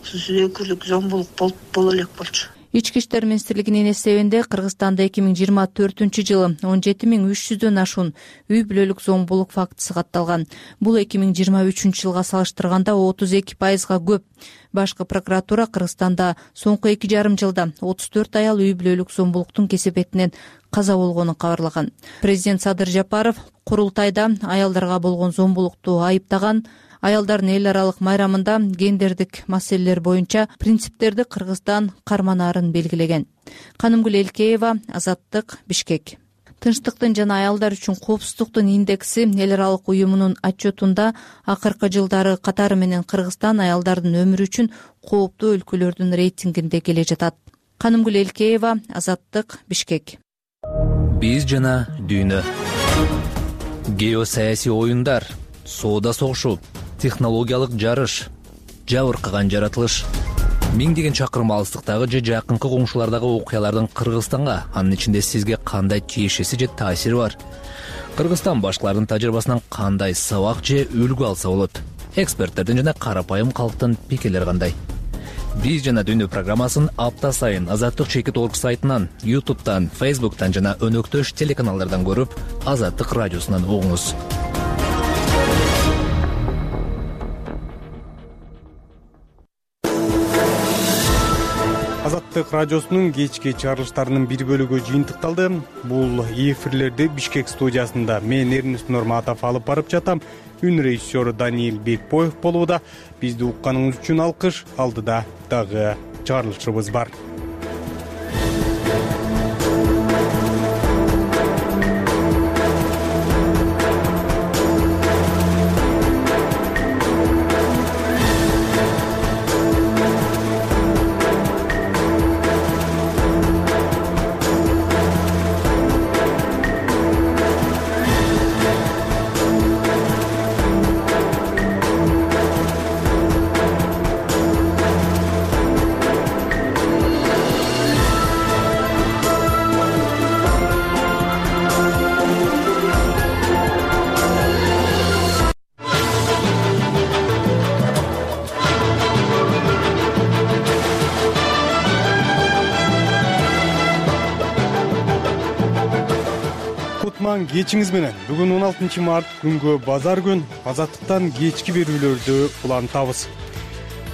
өкүрлүк зомбулук боло элек болчу. Ички иштер министрлигинин эсебинде Кыргызстанда эки миң жыйырма төртүнчү жылы он жети миң үч жүздөн ашуун үй бүлөлүк зомбулук фактысы катталган. Бул эки миң жыйырма үчүнчү жылга салыштырганда отуз эки пайызга көп. Башкы прокуратура Кыргызстанда соңку эки жарым жылда отуз төрт аял үй бүлөлүк зомбулуктун кесепетинен каза болгонун кабарлаган. Президент Садыр Жапаров курултайда аялдарга болгон зомбулукту айыптаган. Аялдардын эл аралык майрамында гендердик маселелер боюнча принциптерди Кыргызстан карманаарын белгилеген. Канымгүл Элкеева, Азаттык, Бишкек. Тынчтыктын жана аялдар үчүн коопсуздуктун индекси эл аралык уюмунун отчетунда акыркы жылдары катары менен Кыргызстан аялдардын өмүрү үчүн кооптуу өлкөлөрдүн рейтингинде келе жатат. Канымгүл Элкеева, Азаттык, Бишкек. Биз жана дүйнө. Геосаясий оюндар, соода согушу, технологиялык жарыш, жабыркаган жаратылыш. Миңдеген чакырым алыстыктагы же жакынкы коңшулардагы окуялардын Кыргызстанга, анын ичинде сизге кандай тиешеси же таасири бар? Кыргызстан башкалардын тажрыйбасынан кандай сабак же үлгү алса болот? Эксперттердин жана карапайым калктын пикирлери кандай? Биз жана Дүйнө программасын апта сайын Азаттык чекит точка орг сайтынан, ютубтан, фейсбуктан жана өнөктөш телеканалдардан көрүп, Азаттык радиосунан угуңуз. Азаттык радиосунун кечки чыгарылыштарынын бир бөлүгү жыйынтыкталды. Бул эфирлерди Бишкек студиясында мен Эрнест Нурматов алып барып жатам. Үн режиссеру Даниил Бекбоев болууда. Бизди укканыңыз үчүн алкыш. Алдыда дагы чыгарылышыбыз бар. Кечиңиз менен бүгүн он алтынчы март күнгө базар күн Азаттыктан кечки берүүлөрдү улантабыз.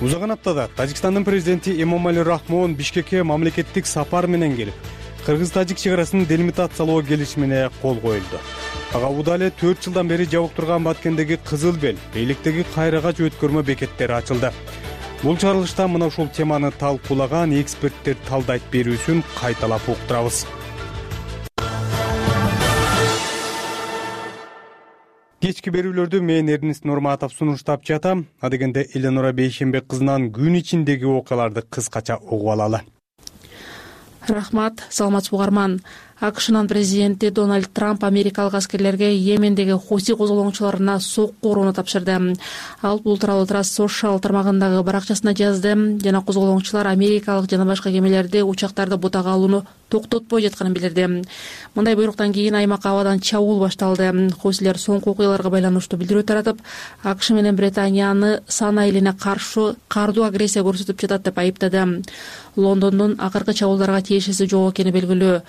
Узаган аптада Тажикстандын президенти Эмомали Рахмон Бишкекке мамлекеттик сапар менен келип, кыргыз-тажик чек арасын делимитациялоо келишимине кол коюлду. Ага убада эле төрт жылдан бери жабык турган Баткендеги Кызыл Бел, Бейликтеги Кайрагач өткөрмө бекеттери ачылды. Бул чыгарылышта мына ушул теманы талкуулаган эксперттер талдайт берүүсүн кайталап уктурабыз. Кечки берүүлөрдү мен Эрнест Нурматов сунуштап жатам. Адегенде Эленора Бейшембек кызынан күн ичиндеги окуяларды кыскача угуп алалы. Рахмат, саламатсыз угарман. АКШнын президенти Дональд Трамп америкалык аскерлерге Йемендеги Хуси козголоңчуларына сокку урууну тапшырды. Ал бул тууралуу Трасс Social тармагындагы баракчасына жазды жана козголоңчулар америкалык жана башка кемелерди учактарды бутага алууну токтотпой жатканын билдирди. Мындай буйруктан кийин аймакка абадан чабуул башталды. Хусилер соңку окуяларга байланыштуу билдирүү таратып, АКШ менен Британияны сан айылына каршы кардуу агрессия көрсөтүп жатат деп айыптады. Лондондун акыркы чабуулдарга тиешеси жок экени белгилүү.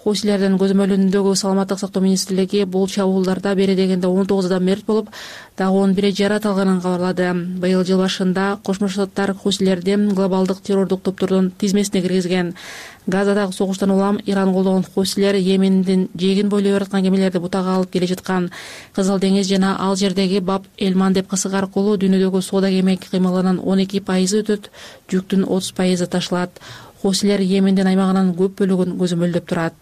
Хусилердин көзөмөлүндөгү саламаттык сактоо министрлиги бул чабуулдарда бери дегенде он тогуз адам мерт болуп, дагы он бир жарат алганын кабарлады. Быйыл жыл башында Кошмо Штаттар хусилерди глобалдык террордук топтордун тизмесине киргизген. Газадагы согуштан улам Иран колдогон хусилер Йемендин жегин бойлой бараткан кемелерди бутага алып келе жаткан. Кызыл деңиз жана ал жердеги Баб Элмандеб кысык аркылуу дүйнөдөгү соода кеме кыймылынын он эки пайызы өтөт, жүктүн отуз пайызы ташылат. Хусилер Йемендин аймагынын көп бөлүгүн көзөмөлдөп турат.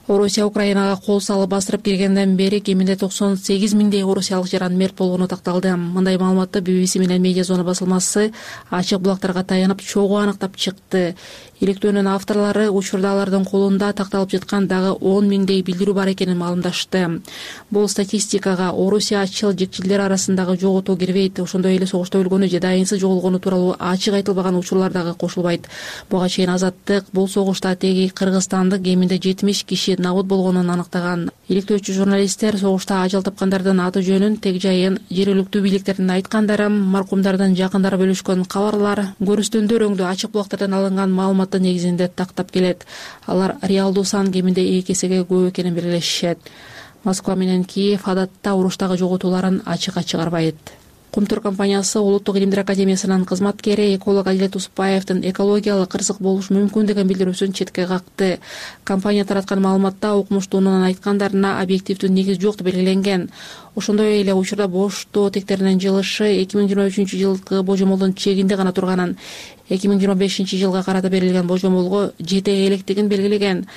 Орусия Украинага кол салып бастырып киргенден бери кеминде токсон сегиз миңдей орусиялык жаран мерт болгону такталды. Мындай маалыматты би би си менен Медиазона басылмасы ачык булактарга таянып чогуу аныктап чыкты. Иликтөөнүн авторлору учурда алардын колунда такталып жаткан дагы он миңдей билдирүү бар экенин маалымдашты. Бул статистикага Орусия ачыл жекчилдер арасындагы жоготуу кирбейт. Ошондой эле согушта өлгөнү же дайынсыз жоголгону тууралуу ачык айтылбаган учурлар дагы кошулбайт. Буга чейин Азаттык бул согушта теги кыргызстандык кеминде жетимиш киши набыт болгонун аныктаган. Иликтөөчү журналисттер согушта ажал тапкандардын аты жөнүн, тег жайын жергиликтүү бийликтердин айткандары, маркумдардын жакындары бөлүшкөн кабарлар, көрүстөндөр өңдүү ачык булактардан алынган маалыматтын негизинде тактап келет. Алар реалдуу сан кеминде эки эсеге көп экенин белгилешишет. Москва менен Киев адатта уруштагы жоготууларын ачыкка чыгарбайт. Кумтур компаниясы Улуттук илимдер академиясынын кызматкери эколог Адилет Усупаевдин экологиялык кырсык болушу мүмкүн деген билдирүүсүн четке какты. Компания тараткан маалыматта укмуштуунун айткандарына объективдүү негиз жок деп белгиленген. Ошондой эле учурда боштоо тектеринин жылышы эки миң жыйырма үчүнчү жылкы божомолдун чегинде гана турганын, эки миң жыйырма бешинчи жылга карата берилген божомолго жете электигин белгилеген.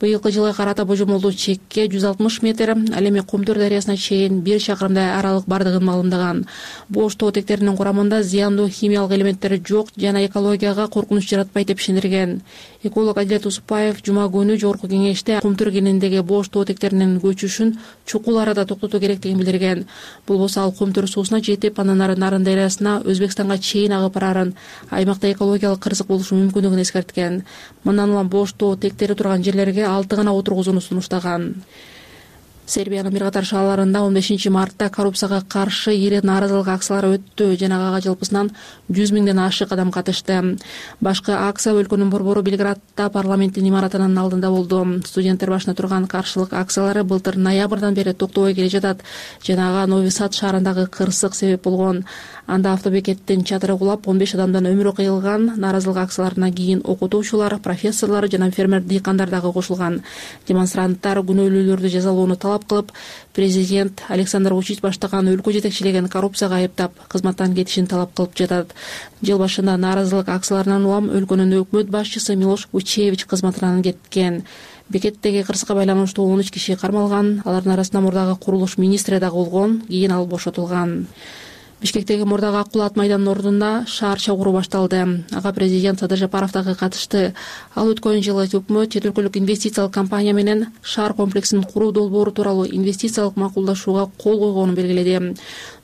Быйылкы жылга карата божомолдуу чекке жүз алтымыш метр, ал эми Кумтур дарыясына чейин бир чакырымдай аралык бардыгын маалымдаган. Бош тоо тектеринин курамында зыяндуу химиялык элементтер жок жана экологияга коркунуч жаратпайт деп ишендирген. Эколог Адилет Усупаев жума күнү жогорку кеңеште Кумтур кенендеги бош тоо тектеринин көчүшүн чукул арада токтотуу керектигин билдирген. Бул болсо ал Кумтур суусуна жетип, андан ары Нарын дарыясына Өзбекстанга чейин агып барарын, аймакта экологиялык кырсык болушу мүмкүндүгүн эскерткен. Мындан улам бош тоо тектери турган жерлерге алты гана отургузууну сунуштаган. Сербиянын бир катар шаарларында он бешинчи мартта коррупцияга каршы ири нааразылык акциялары өттү жана ага жалпысынан жүз миңден ашык адам катышты. Башкы акция өлкөнүн борбору Белградда парламенттин имаратынын алдында болду. Студенттер башына турган каршылык акциялары былтыр ноябрдан бери токтобой келе жатат жана ага Нови Сад шаарындагы кырсык себеп болгон. Анда автобекеттин чатыры кулап он беш адамдын өмүрү кыйылган. Нааразылык акцияларына кийин окутуучулар, профессорлор жана фермер дыйкандар дагы кошулган. Демонстранттар күнөөлүүлөрдү жазалоону талап кылып, президент Александр Вучич баштаган өлкө жетекчилигин коррупцияга айыптап, кызматтан кетишин талап кылып жатат. Жыл башында нааразылык акцияларынан улам өлкөнүн өкмөт башчысы Милош Вучевич кызматынан кеткен. Бекеттеги кырсыкка байланыштуу он үч киши кармалган. Алардын арасында мурдагы курулуш министри дагы болгон. Кийин ал бошотулган. Бишкектеги мурдагы ак кулат майданынын ордунда шаар чогуу башталды. Ага президент Садыр Жапаров дагы катышты. Ал өткөн жылы өкмөт чет өлкөлүк инвестициялык компания менен шаар комплексин куруу долбоору тууралуу инвестициялык макулдашууга кол койгонун белгиледи.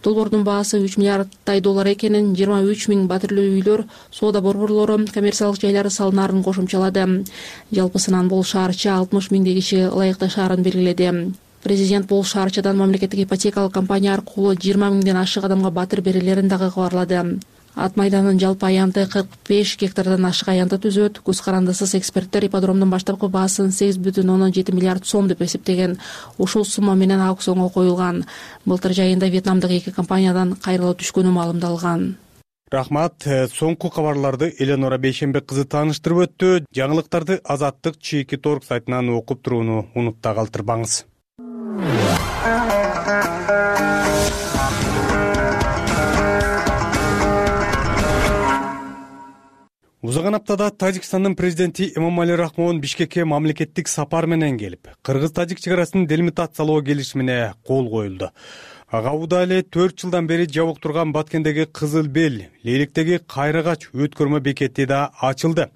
Долбоордун баасы үч миллиардтай доллар экенин, жыйырма үч миң батирлүү үйлөр, соода борборлору, коммерциялык жайлары салынаарын кошумчалады. Жалпысынан бул шаарча алтымыш миңдей киши ылайыктуу шаарын белгиледи. Президент бул шаарчадан мамлекеттик ипотекалык компания аркылуу жыйырма миңден ашык адамга батир берилерин дагы кабарлады. Ат майданын жалпы аянты кырк беш гектардан ашык аянты түзөт. Көз карандысыз эксперттер ипподромдун баштапкы баасын сегиз бүтүн ондон жети миллиард сом деп эсептеген. Ушул сумма менен аукционго коюлган. Былтыр жайында Вьетнамдык эки компаниядан кайрылуу түшкөнү маалымдалган. Рахмат. Соңку кабарларды Эленора Бейшембек кызы тааныштырып өттү. Жаңылыктарды Азаттык чекит орг сайтынан окуп турууну унутпай калтырбаңыз. Узган аптада Тажикстандын президенти Эмомали Рахмон Бишкекке мамлекеттик сапар менен келип, кыргыз-тажик чек арасын делимитациялоо келишимине кол коюлду. Ага убада эле төрт жылдан бери жабык турган Баткендеги Кызыл Бел, Лейлектеги Кайрагач өткөрмө бекети да ачылды.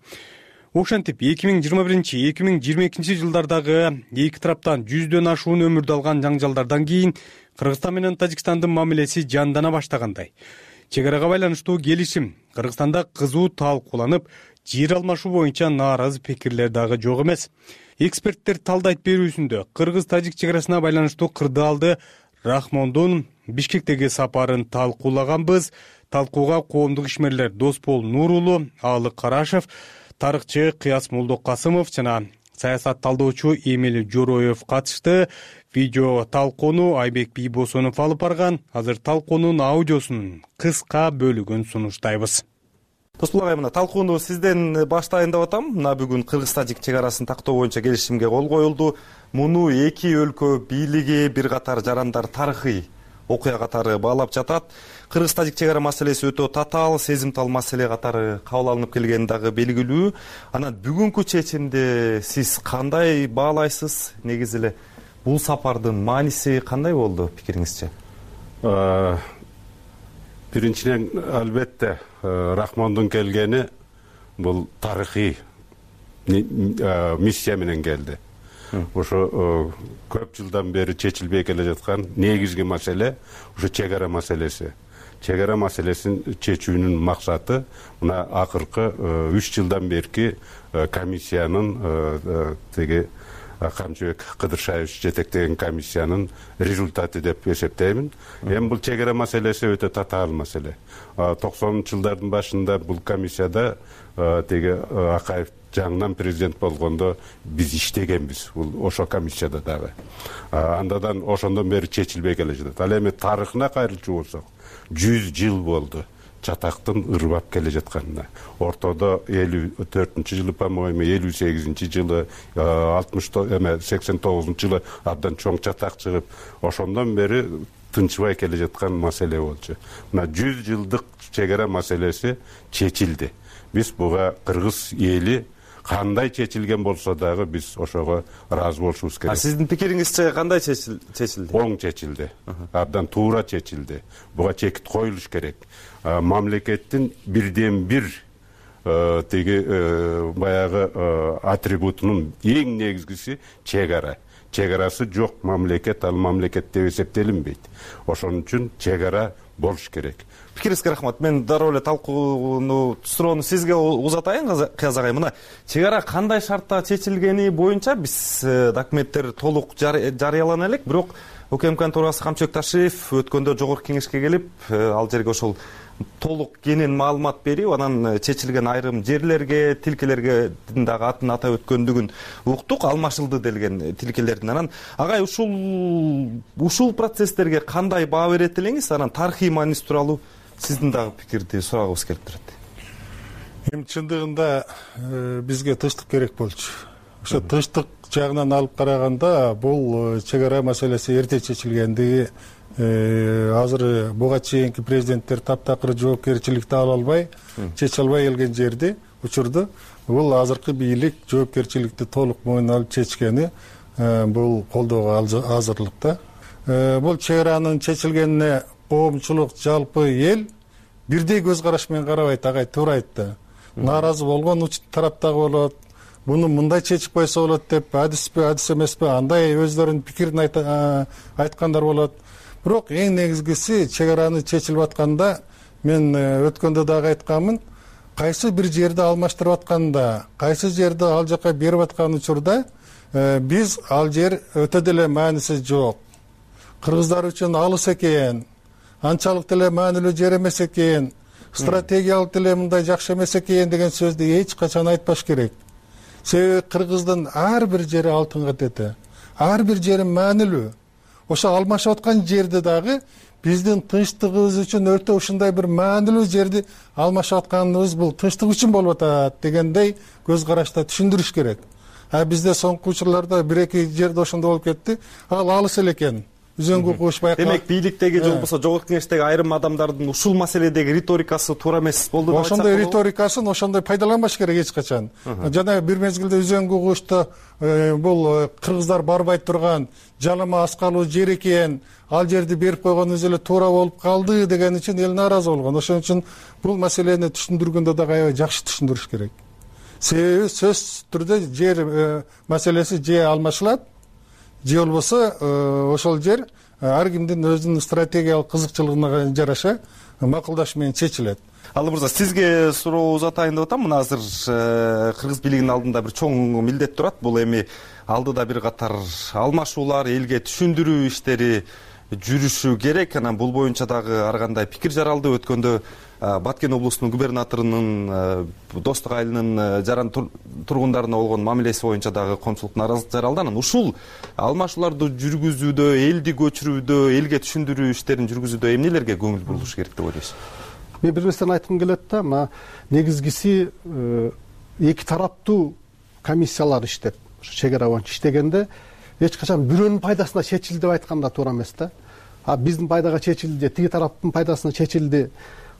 Ошентип эки миң жыйырма биринчи — эки миң жыйырма экинчи жылдардагы эки тараптан жүздөн ашуун өмүрдү алган жаңжалдардан кийин Кыргызстан менен Тажикстандын мамилеси жандана баштагандай. Чек арага байланыштуу келишим Кыргызстанда кызуу талкууланып, жер алмашуу боюнча нааразы пикирлер дагы жок эмес. Эксперттер талдайт берүүсүндө кыргыз-тажик чек арасына байланыштуу кырдаалды Рахмондун Бишкектеги сапарын талкуулаганбыз. Талкууга коомдук ишмерлер Доспол Нурулу, Аалык Карашев, тарыхчы Кыяс Молдокасымов жана саясат талдоочу Эмил Жороев катышты. Видео талкууну Айбек Бийбосонов алып барган. Азыр талкуунун аудиосунун кыска бөлүгүн сунуштайбыз. Доспол агай, мына талкууну сизден баштайын деп атам. Мына бүгүн кыргыз-тажик чек арасын тактоо боюнча келишимге кол коюлду. Муну эки өлкө бийлиги, бир катар жарандар тарыхый окуя катары баалап жатат. Кыргыз-тажик чек ара маселеси өтө татаал, сезимтал маселе катары кабыл алынып келгени дагы белгилүү. Анан бүгүнкү чечимди сиз кандай баалайсыз? Негизи эле бул сапардын мааниси кандай болду пикириңизче? Биринчиден, албетте, Рахмондун келгени бул тарыхый миссия менен келди. Ошо көп жылдан бери чечилбей келе жаткан негизги маселе ушу чек ара маселеси. Чек ара маселесин чечүүнүн максаты мына акыркы үч жылдан берки комиссиянын теги Камчыбек Кыдыршаевич жетектеген комиссиянын результаты деп эсептеймин. Эми бул чек ара маселеси өтө татаал маселе. токсонунчу жылдардын башында бул комиссияда теги Акаев жаңынан президент болгондо биз иштегенбиз. Бул ошо комиссияда дагы. Андан ошондон бери чечилбей келе жатат. Ал эми тарыхына кайрылчу болсок, жүз жыл болду чатактын ырбап келе жатканына. Ортодо элүү төртүнчү жылы, по-моему, элүү сегизинчи жылы, алтымыш эме сексен тогузунчу жылы абдан чоң чатак чыгып, ошондон бери тынчыбай келе жаткан маселе болчу. Мына жүз жылдык чек ара маселеси чечилди. Биз буга кыргыз эли кандай чечилген болсо дагы биз ошого ыраазы болушубуз керек. А сиздин пикириңизче кандай чечилди? Оң чечилди. Абдан туура чечилди. Буга чекит коюлуш керек. Мамлекеттин бирден бир теги баягы атрибутунун эң негизгиси чек ара. Чек арасы жок мамлекет ал мамлекет деп эсептелинбейт. Ошон үчүн чек ара болуш керек. Пикириңизге рахмат. Мен дароо эле талкууну суроону сизге узатайын, Кыяз агай. Мына чек ара кандай шартта чечилгени боюнча биз документтер толук жарыялана элек, бирок УКМКнын төрагасы Камчыбек Ташиев өткөндө жогорку кеңешке келип, ал жерге ошол толук кенен маалымат берип, анан чечилген айрым жерлерге, тилкелерге дагы атын атап өткөндүгүн уктук, алмашылды делген тилкелердин. Анан агай ушул ушул процесстерге кандай баа берет элеңиз? Анан тарыхый мааниси тууралуу сиздин дагы пикирди сурагыбыз келип турат. Эми чындыгында бизге тынчтык керек болчу. Ошо тынчтык жагынан алып караганда бул чек ара маселеси эрте чечилгендиги, азыр буга чейинки президенттер таптакыр жоопкерчиликти ала албай, чече албай келген жерди, учурду бул азыркы бийлик жоопкерчиликти толук мойнуна алып чечкени бул колдоого азырлыкта. Бул чек аранын чечилгенине коомчулук, жалпы эл бирдей көз караш менен карабайт, агай туура айтты. Нааразы болгон тарап дагы болот. Буну мындай чечип койсо болот деп, адиспи, адис эмеспи, андай өздөрүнүн пикирин айткандар болот. Бирок эң негизгиси чек араны чечилип атканда, мен өткөндө дагы айтканмын, кайсы бир жерди алмаштырып атканда, кайсы жерди ал жака берип аткан учурда биз ал жер өтө деле мааниси жок. Кыргыздар үчүн алыс экен, анчалык деле маанилүү жер эмес экен, стратегиялык деле мындай жакшы эмес экен деген сөздү эч качан айтпаш керек. Себеби Кыргыздын ар бир жери алтын катети, ар бир жери маанилүү. Ошо алмашып аткан жерди дагы биздин тынчтыгыбыз үчүн өтө ушундай бир маанилүү жерди алмашып атканыбыз бул тынчтык үчүн болуп атат дегендей көз карашта түшүндүрүш керек. А бизде соңку учурларда бир эки жерде ошондой болуп кетти. Ал алыс эле экен. Үзөңгү куш байкалат. Демек бийликтеги же болбосо жогорку кеңештеги айрым адамдардын ушул маселедеги риторикасы туура эмес болду деп айтсак болобу? Ошондой риторикасын ошондой пайдаланбаш керек эч качан. Жана бир мезгилде үзөңгү кушта бул кыргыздар барбай турган жалама аскалуу жер экен, ал жерди берип койгон өзү эле туура болуп калды деген үчүн эл нааразы болгон. Ошон үчүн бул маселени түшүндүргөндө дагы аябай жакшы түшүндүрүш керек. Себеби сөзсүз түрдө жер маселеси же алмашылат, же болбосо ошол жер ар кимдин өзүнүн стратегиялык кызыкчылыгына жараша макулдаш менен чечилет. Алы мырза, сизге суроо узатайын деп атам. Мына азыр кыргыз бийлигинин алдында бир чоң милдет турат. Бул эми алдыда бир катар алмашуулар, элге түшүндүрүү иштери жүрүшү керек. Анан бул боюнча дагы ар кандай пикир жаралды. Өткөндө Баткен облусунун губернаторунун Достук айылынын жаран тургундарына болгон мамилеси боюнча дагы коомчулук нааразылык жаралды. Анан ушул алмашууларды жүргүзүүдө, элди көчүрүүдө, элге түшүндүрүү иштерин жүргүзүүдө эмнелерге көңүл бурулуш керек деп ойлойсуз? Мен бир нерсени айткым келет да, мына негизгиси эки тараптуу комиссиялар иштеп, чек ара боюнча иштегенде эч качан бирөөнүн пайдасына чечилди деп айтканда туура эмес да. А биздин пайдага чечилди, тиги тараптын пайдасына чечилди.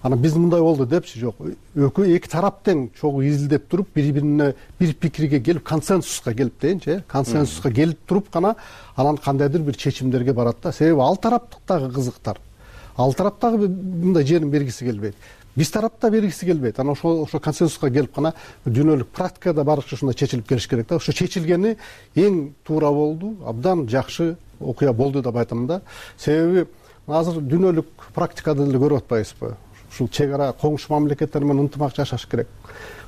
Анан биз мындай болду депчи, жок. Экөө эки тарап тең чогуу изилдеп туруп, бири-бирине бир пикирге келип, консенсуска келип дейинчи, консенсуска келип туруп гана анан кандайдыр бир чечимдерге барат да. Себеби ал тараптагы кызыктар. Ал тараптагы мындай жерин бергиси келбейт. Биз тарапта бергиси келбейт. Анан ошо ошо консенсуска келип гана дүйнөлүк практикада барыкча ушундай чечилип келиш керек да. Ошо чечилгени эң туура болду, абдан жакшы окуя болду деп айтам да. Себеби азыр дүйнөлүк практикада деле көрүп атпайбызбы? Ушул чек ара коңшу мамлекеттер менен ынтымак жашаш керек.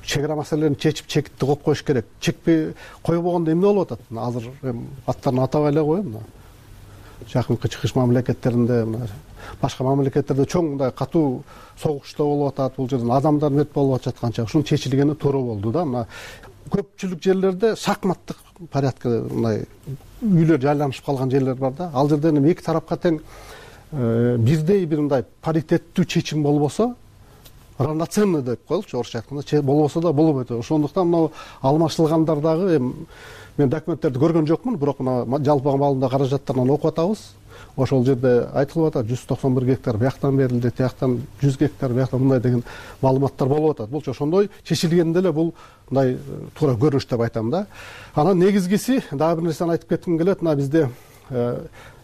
Чек ара маселелерин чечип, чекитти коюп коюш керек. Чекпей койбогондо эмне болуп атат? Азыр аттарын атабай эле коеюн. Жакынкы чыгыш мамлекеттеринде, башка мамлекеттерде чоң мындай катуу согуштар болуп атат. Бул жерден адамдар мет болуп жатканча ушунун чечилгени туура болду да. Мына көпчүлүк жерлерде шахматтык порядкада мындай үйлөр жайланышып калган жерлер бар да. Ал жерден эми эки тарапка тең бирдей бир мындай паритеттүү чечим болбосо, равноценный деп коелучу орусча айтканда, болбосо да болбойт. Ошондуктан мына алмашылгандар дагы мен документтерди көргөн жокмун, бирок мына жалпы маалында каражаттарынан окуп атабыз. Ошол жерде айтылып атат, жүз токсон бир гектар бияктан берилди, тияктан жүз гектар бияктан мындай деген маалыматтар болуп атат. Булчу ошондой чечилгенде эле бул мындай туура көрүнүш деп айтам да. Анан негизгиси дагы бир нерсени айтып кетким келет. Мына бизде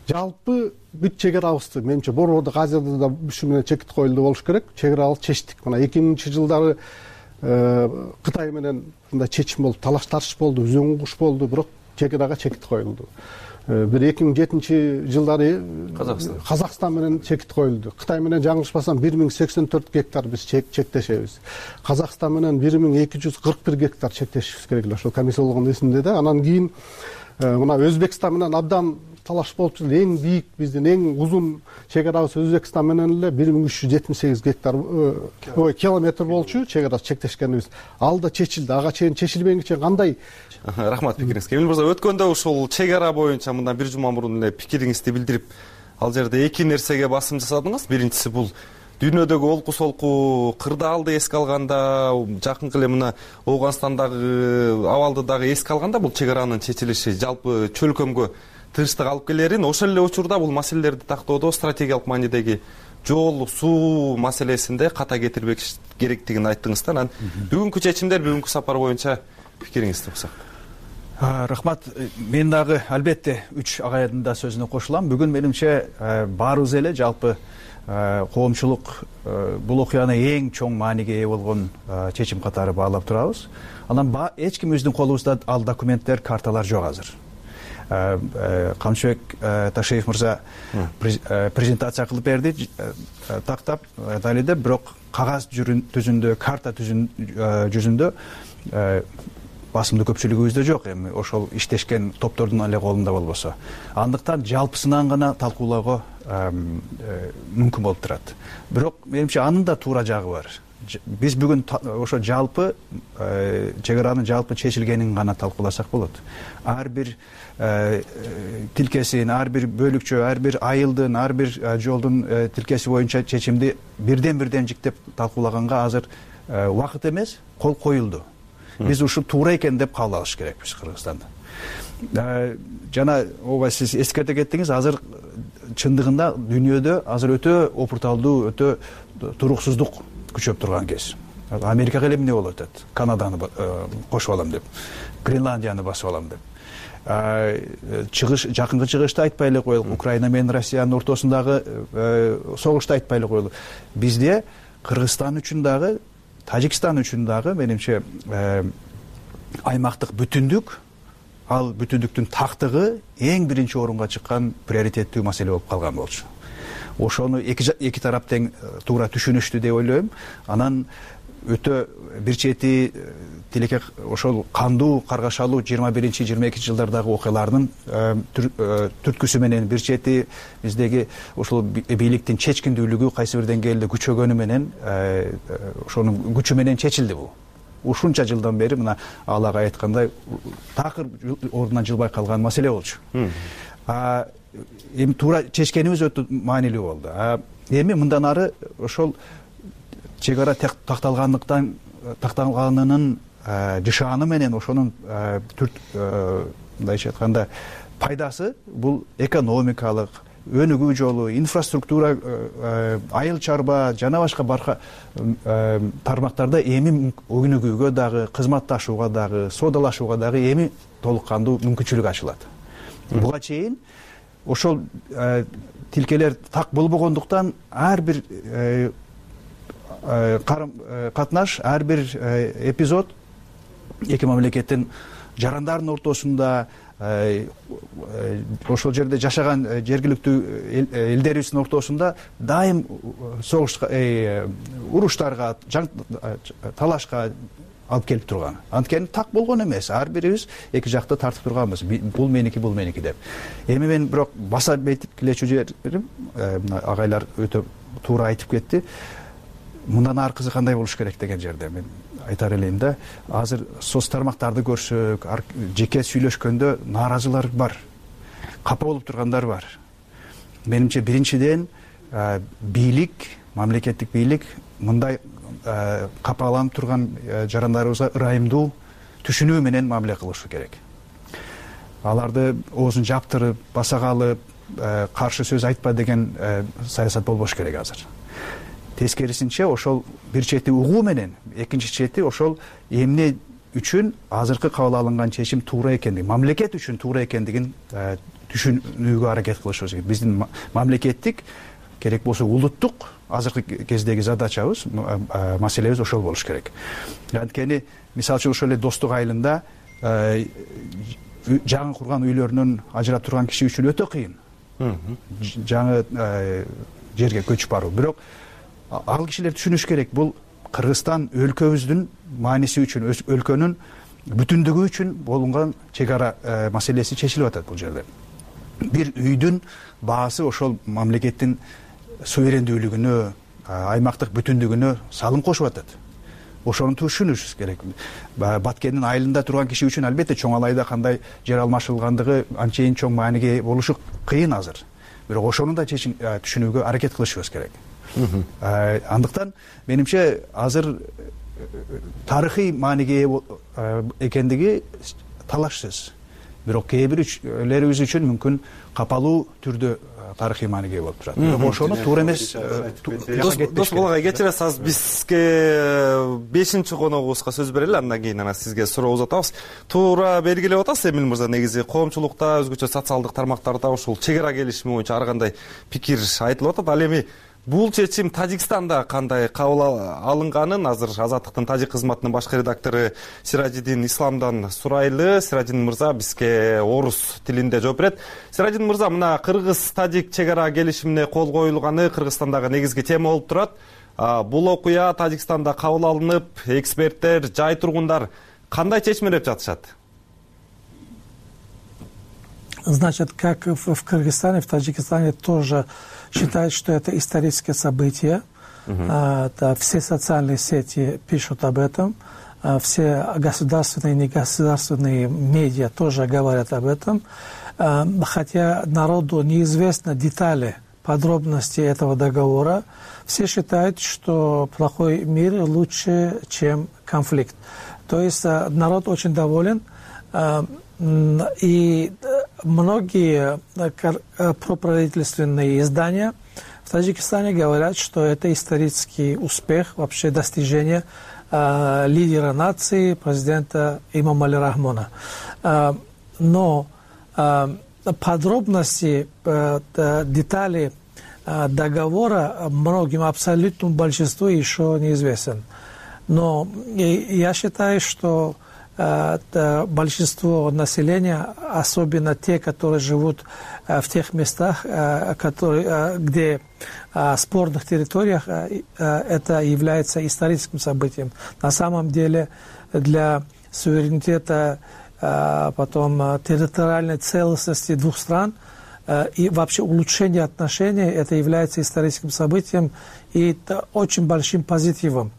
жалпы бүт чек арабызды менимче Борбордук Азияда да ушу менен чекит коюлду болуш керек. Чек арабызды чечтик. Мына эки миңинчи жылдары Кытай менен мындай чечим болуп, талаш тартыш болду, үзөң куш болду, бирок чек арага чекит коюлду. бир эки миң жетинчи жылдары Казакстан Казакстан менен чекит коюлду. Кытай менен жаңылышпасам бир миң сексен төрт гектар биз чектешебиз. Казакстан менен бир миң эки жүз кырк бир гектар чектешибиз керек эле. Ошол комиссия болгон эсимде да. Анан кийин мына Өзбекстан менен абдан талаш болуп жүрдү. Эң бийик биздин эң узун чек арабыз Өзбекстан менен эле бир миң үч жүз жетимиш сегиз гектар ой километр болчу чек арасы чектешкенибиз. Ал да чечилди. Ага чейин чечилбегенче кандай? Рахмат пикириңизге. Эмил мырза, өткөндө ушул чек ара боюнча мындан бир жума мурун эле пикириңизди билдирип, ал жерде эки нерсеге басым жасадыңыз. Биринчиси бул дүйнөдөгү олку солку кырдаалды эске алганда, жакынкы эле мына Ооганстандагы абалды дагы эске алганда бул чек аранын чечилиши жалпы чөлкөмгө тынчтык алып келерин, ошол эле учурда бул маселелерди тактоодо стратегиялык маанидеги жол, суу маселесинде ката кетирбек керектигин айттыңыз да. Анан бүгүнкү чечимдер, бүгүнкү сапар боюнча пикириңизди уксак. Рахмат. Мен дагы албетте үч агайдын да сөзүнө кошулам. Бүгүн менимче баарыбыз эле жалпы коомчулук бул окуяны эң чоң мааниге ээ болгон чечим катары баалап турабыз. Анан эч ким өздүн колубузда ал документтер, карталар жок азыр. Камчыбек Ташиев мырза презентация кылып берди, тактап далилдеп, бирок кагаз жүзүндө, карта жүзүндө басымдуу көпчүлүгүбүздө жок. Эми ошол иштешкен топтордун эле колунда болбосо, андыктан жалпысынан гана талкуулоого мүмкүн болуп турат. Бирок менимче анын да туура жагы бар. Биз бүгүн ошо жалпы чек аранын жалпы чечилгенин гана талкууласак болот. Ар бир тилкесин, ар бир бөлүкчө, ар бир айылдын, ар бир жолдун тилкеси боюнча чечимди бирден-бирден жиктеп талкуулаганга азыр убакыт эмес, кол коюлду. Биз ушул туура экен деп кабыл алыш керекпиз Кыргызстанда. Жана ооба сиз эскерте кеттиңиз, азыр чындыгында дүйнөдө азыр өтө опурталдуу, өтө туруксуздук күчөп турган кез. Америкага эле эмне болуп атат? Канаданы кошуп алам деп, Гренландияны басып алам деп. Чыгыш, жакынкы чыгышты айтпай эле коелук, Украина менен Россиянын ортосундагы согушту айтпай эле коелук. Бизде Кыргызстан үчүн дагы, Тажикстан үчүн дагы менимче аймактык бүтүндүк, ал бүтүндүктүн тактыгы эң биринчи орунга чыккан приоритеттүү маселе болуп калган болчу. Ошону эки эки тарап тең туура түшүнүштү деп ойлойм. Анан өтө бир чети тилеке ошол кандуу каргашалуу жыйырма биринчи жыйырма экинчи жылдардагы окуялардын түрткүсү менен бир чети биздеги ошол бийликтин чечкиндүүлүгү кайсы бир деңгээлде күчөгөнү менен ошонун күчү менен чечилди бул. Ушунча жылдан бери мына ал агай айткандай такыр ордунан жылбай калган маселе болчу. Эми туура чечкенибиз өтө маанилүү болду. Эми мындан ары ошол чек ара такталгандыктан такталганынын жышааны менен ошонун мындайча айтканда пайдасы бул экономикалык, өнүгүү жолу, инфраструктура, айыл чарба жана башка барка тармактарда эми өнүгүүгө дагы, кызматташууга дагы, соодалашууга дагы эми толук кандуу мүмкүнчүлүк ачылат. Буга чейин ошол тилкелер так болбогондуктан ар бир карым катнаш, ар бир эпизод эки мамлекеттин жарандардын ортосунда, ошол жерде жашаган жергиликтүү элдерибиздин ортосунда дайым согушка, уруштарга, талашка алып келип турган. Анткени так болгон эмес. Ар бирибиз эки жакта тартып турганбыз. Бул меники, бул меники деп. Эми мен бирок баса бетип келечү жерим, агайлар өтө туура айтып кетти. Мындан аркысы кандай болуш керек деген жерде мен айтар элем да. Азыр соц тармактарды көрсөк, жеке сүйлөшкөндө нааразылар бар. Капа болуп тургандар бар. Менимче биринчиден бийлик, мамлекеттик бийлик мындай капаланып турган жарандарыбызга ырайымдуу түшүнүү менен мамиле кылышы керек. Аларды оозун жаптырып, баса калып, каршы сөз айтпа деген саясат болбош керек азыр. Тескерисинче ошол бир чети угуу менен, экинчи чети ошол эмне үчүн азыркы кабыл алынган чечим туура экендигин, мамлекет үчүн туура экендигин түшүнүүгө аракет кылышыбыз керек. Биздин мамлекеттик, керек болсо улуттук азыркы кездеги задачабыз, маселебиз ошол болуш керек. Анткени мисалы үчүн ошол эле Достук айылында жаңы курган үйлөрүнөн ажырап турган киши үчүн өтө кыйын жаңы жерге көчүп баруу. Бирок ал кишилер түшүнүш керек, бул Кыргызстан өлкөбүздүн мааниси үчүн, өлкөнүн бүтүндүгү үчүн болгон чек ара маселеси чечилип атат бул жерде. Бир үйдүн баасы ошол мамлекеттин суверендүүлүгүнө, аймактык бүтүндүгүнө салым кошуп атат. Ошону түшүнүшүбүз керек. Баткендин айылында турган киши үчүн албетте чоң алайда кандай жер алмашылгандыгы анчейин чоң мааниге болушу кыйын азыр. Бирок ошону да түшүнүүгө аракет кылышыбыз керек. Андыктан менимче азыр тарыхый мааниге экендиги талашсыз. Бирок кээ бирлерибиз үчүн мүмкүн капалуу түрдө тарыхый мааниге болуп турат. Бирок ошону туура эмес. Дос Болгай, кечиресиз, бизге бешинчи коногубузга сөз берели, андан кийин анан сизге суроо узатабыз. Туура белгилеп атасыз, Эмил мырза, негизи коомчулукта, өзгөчө социалдык тармактарда ушул чек ара келишими боюнча ар кандай пикир айтылып атат. Ал эми бул чечим Тажикстанда кандай кабыл алынганын азыр Азаттыктын тажик кызматынын башкы редактору Сиражидин Исламдан сурайлы. Сиражидин мырза бизге орус тилинде жооп берет. Сиражидин мырза, мына кыргыз-тажик чек ара келишимине кол коюлганы Кыргызстандагы негизги тема болуп турат. Бул окуя Тажикстанда кабыл алынып, эксперттер, жай тургундар кандай чечмелеп жатышат? Значит, как в Кыргызстане, в Таджикистане тоже считают, что это историческое событие. Uh-huh. А, все социальные сети пишут об этом, а, все государственные и негосударственные медиа тоже говорят об этом. А, хотя народу неизвестны детали, подробности этого договора, все считают, что плохой мир лучше, чем конфликт. То есть а, народ очень доволен. А, И многие проправительственные издания в Таджикистане говорят, что это исторический успех, вообще достижение э, лидера нации, президента Имомали Рахмона. Э, но э, подробности, э, детали э, договора многим, абсолютному большинству еще неизвестен. Но я считаю, что большинство населения, особенно те, которые живут в тех местах, которые, где в спорных территориях, это является историческим событием. На самом деле для суверенитета, потом территориальной целостности двух стран и вообще улучшение отношений, это является историческим событием и очень большим позитивом.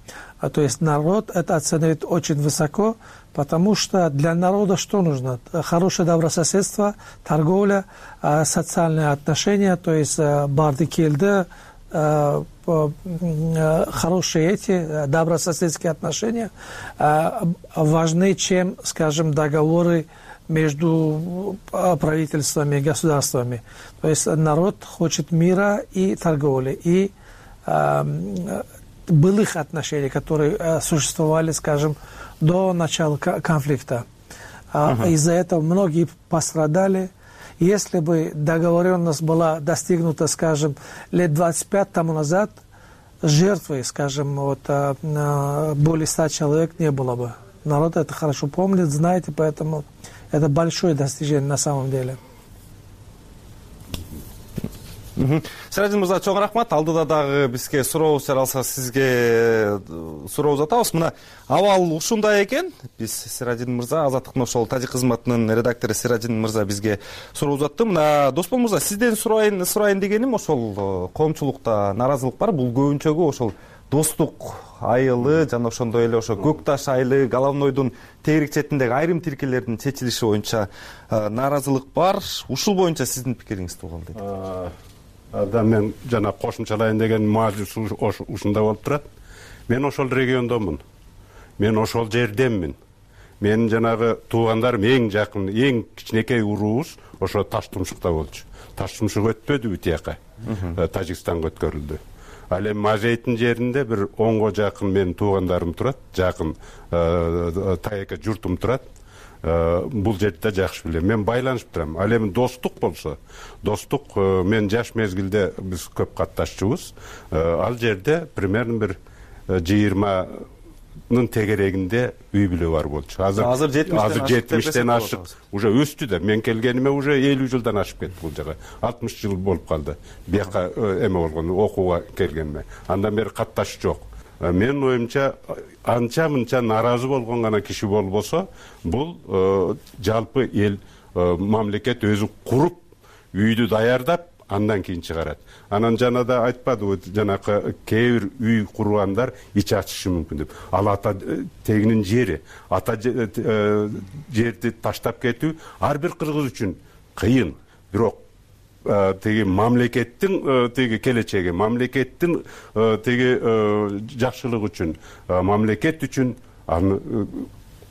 То есть народ это оценивает очень высоко, потому что для народа что нужно? Хорошее добрососедство, торговля, социальные отношения, то есть бардикельды, хорошие эти добрососедские отношения важны, чем, скажем, договоры между правительствами и государствами. То есть народ хочет мира и торговли, и былых отношений, которые существовали, скажем, до начала конфликта. Uh-huh. Из-за этого многие пострадали. Если бы договоренность была достигнута, скажем, лет двадцать пять тому назад, жертвы, скажем, вот, более ста человек не было бы. Народ это хорошо помнит, знает, и поэтому это большое достижение на самом деле. Сиражидин мырза, чоң рахмат. Алдыда дагы бизге сурообуз жаралса сизге суроо узатабыз. Мына абал ушундай экен. Биз Сиражидин мырза, Азаттыктын ошол тажик кызматынын редактору Сиражидин мырза бизге суроо узатты. Мына Доспол мырза, сизден сурайын сурайын дегеним, ошол коомчулукта нааразылык бар. Бул көбүнчөгү ошол Достук айылы жана ошондой эле ошо Көк Таш айылы, Головнойдун тегерек четиндеги айрым тилкелердин чечилиши боюнча нааразылык бар. Ушул боюнча сиздин пикириңизди угалы дейт. Да, мен жана кошумчалайын деген маази ушундай болуп турат. Мен ошол региондомун. Мен ошол жерденмин. Менин жанагы туугандарым эң жакын, эң кичинекей уруубуз ошо Таштумшукта болчу. Таштумшук өтпөдүбү тияка. Тажикстанга өткөрүлдү. Ал эми Мажейттин жеринде бир онго жакын менин туугандарым турат, жакын тайека журтум турат. Бул жерде жакшы билем. Мен байланышып турам. Ал эми Достук болсо, Достук мен жаш мезгилде биз көп катташчубуз. Ал жерде примерно бир жыйырма тегерегинде үй бүлө бар болчу. Азыр азыр жетимиштен ашык уже өстү да. Мен келгениме уже элүү жылдан ашып кетти бул жага. алтымыш жыл болуп калды. Бияка эме болгон окууга келгениме. Андан бери катташ жок. Менин оюмча анча мынча нааразы болгон гана киши болбосо, бул жалпы эл мамлекет өзү куруп, үйдү даярдап, андан кийин чыгарат. Анан жана да айтпадыбы, жанакы кээ бир үй кургандар ич ачышы мүмкүн деп. Ал ата тегинин жери, ата жерди таштап кетүү ар бир кыргыз үчүн кыйын. Бирок теги мамлекеттин теги келечеги, мамлекеттин теги жакшылыгы үчүн, мамлекет үчүн аны